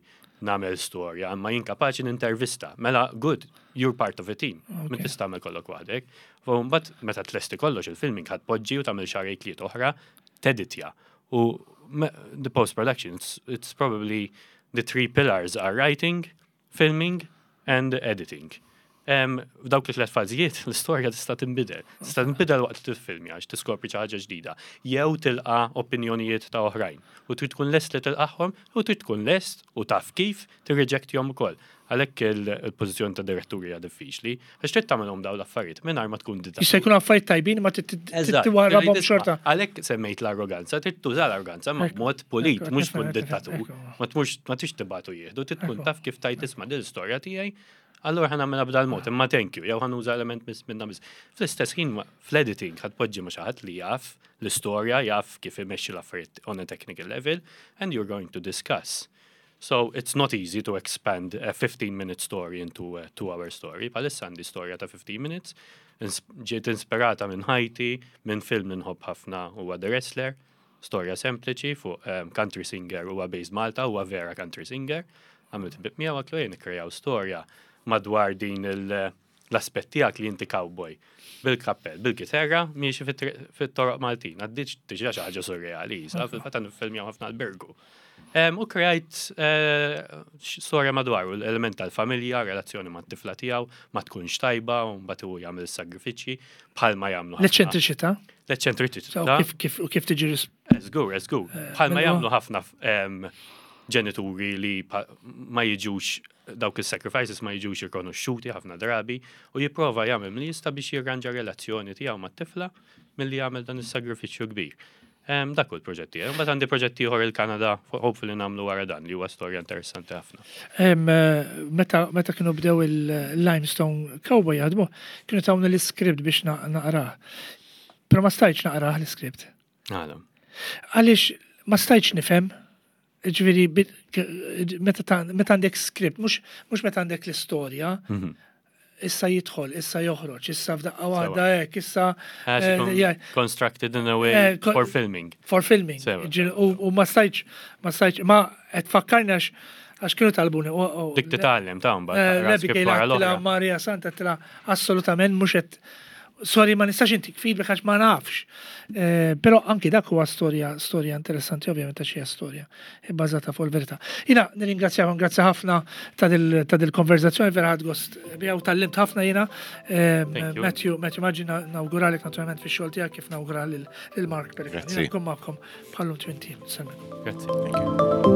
nagħmel storja, imma jien kapaċi nintervista. Mela, good, you're part of a team. Ma tista' tagħmel kollok waħdek. U mbagħad meta tlesti kollox il-filming ħa tpoġġi u tagħmel xahrejn tliet oħra, teditja. U me- the post-production, it's, it's probably the three pillars are writing, filming and editing. Um, F'dawk li tliet fażijiet, l-istorja tista' tinbidel. Tista' tinbidel waqt li tiffilmja għax tiskopri xi ħaġa ġdida. Jew tilqa' opinjonijiet ta' oħrajn. U trid tkun lest li tilqagħhom u trid tkun lest u taf kif tirriġektihom ukoll. Għalhekk il- il-pożizzjoni ta' diretturi hija diffiċli, għax trid tagħmelhom dawn l-affarijiet mingħajr ma tkun dittatur. Jista' jkun affarijiet tajbin ma Eżatt, titwarrabhom trid xorta. Għalhekk semmejt l-arroganza, trid tuża l-arroganza ma Ekku, b'mod pulit, ekku, mhux nifhem, tkun nifhem, dittatur. ekku. Ma tmux ma tix tibatu jieħdu, trid tkun Ekku. taf kif tajt isma' din l-istorja tiegħi. Allura ħa nagħmilha b'dal mod, imma thank you, jew ħa nuża element miss minna miss. Fl-istess ħin ma- fl-editing ħa tpoġġi ma' xi ħadd li jaf l-istorja, jaf kif imexxi l-affarijiet on a technical level, and you're going to discuss. So it's not easy to expand a fifteen minute story into a two hour story. Bħalissa għandi storja ta' fifteen minutes. Ins- Ġiet inspirata minn ħajti, minn film li nħobb ħafna, huwa The Wrestler. Storja sempliċi fuq um, country singer, huwa based Malta, huwa vera country singer. Għamilt bib miegħu, għedtlu jien ikkrejaw storja madwar din il- l-aspett tiegħek li inti cowboy. Bil-kappell, bil-gitarra, miexi fit-toroq Maltin. Għaddiċ tiġa xi ħaġa surreali, sa fil-fatt nifilmjaw ħafna l-Birgu. Em, U krejajt eh, storja madwaru, l-element tal-familja, relazzjoni ma' t-tifla tiegħu, ma tkunx tajba, u mbagħad hu jagħmel sagrifiċċji bħalma jagħmlu ħafna. L-eċċentriċità. L-eċċentriċità. So, Kif kif u kif tiġi ris- Żgur, żgur. Bħalma minnu- jagħmlu ħafna em, ġenituri li pa- ma jiġux dawk il-sacrifices ma jiġux rikonoxxuti ħafna drabi u jipprova jagħmel milli jista' biex jirranġa relazzjoni tiegħu mat-tifla milli jagħmel dan is-sagrifiċċju kbir. Em, Dak hu l-proġett tiegħi. Mbagħad għandi proġett ieħor il-Kanada, hopefully nagħmlu wara dan, li huwa storja interessanti ħafna. Em, eh, Meta meta kienu bdew il-Limestone Cowboy jaħdmu, kienu tawni l-script biex na- naqrah. Però ma stajtx naqrah l-script. Għala. Għaliex ma stajtx nifhem, ġifieri, bit- k- meta ta- meta għandek script, mhux mhux meta għandek l-istorja, Mhm. issa jidħol, issa joħroġ, issa f'daqqa waħda hekk, issa Għax eh, ikun yeah, constructed in a way Eh, ko- for filming. For filming. Sewa. Ġifieri, U u ma stajtx, ma stajtx, ma qed fakkarni għax għax kienu talbuni. u- u- Dik titgħallem ta' mbagħad Eh, taqra Lebi script Kejla wara għedtilha l-oħra. Maria Santa, għedtilha assolutament mhux qed, sorry, ma nistax intik feedback għax ma nafx. Eh, Però anki dak huwa storja storja interessanti, ovvjament, għax hija storja bbażata fuq il-verità. Jiena nirringrazzjakom, grazzi ħafna ta' dil- ta' dil-konverzazzjoni, vera ħadt gost biha u tgħallimt ħafna jiena. Eh, Thank you. Matthew, Matthew Maggi, nawguralek naturalment fix-xogħol tiegħek kif nawgura lil lil Mark Pellegrino. Grazzi. Nkun magħkom bħallum twenty. Salve. Grazzi. Thank you.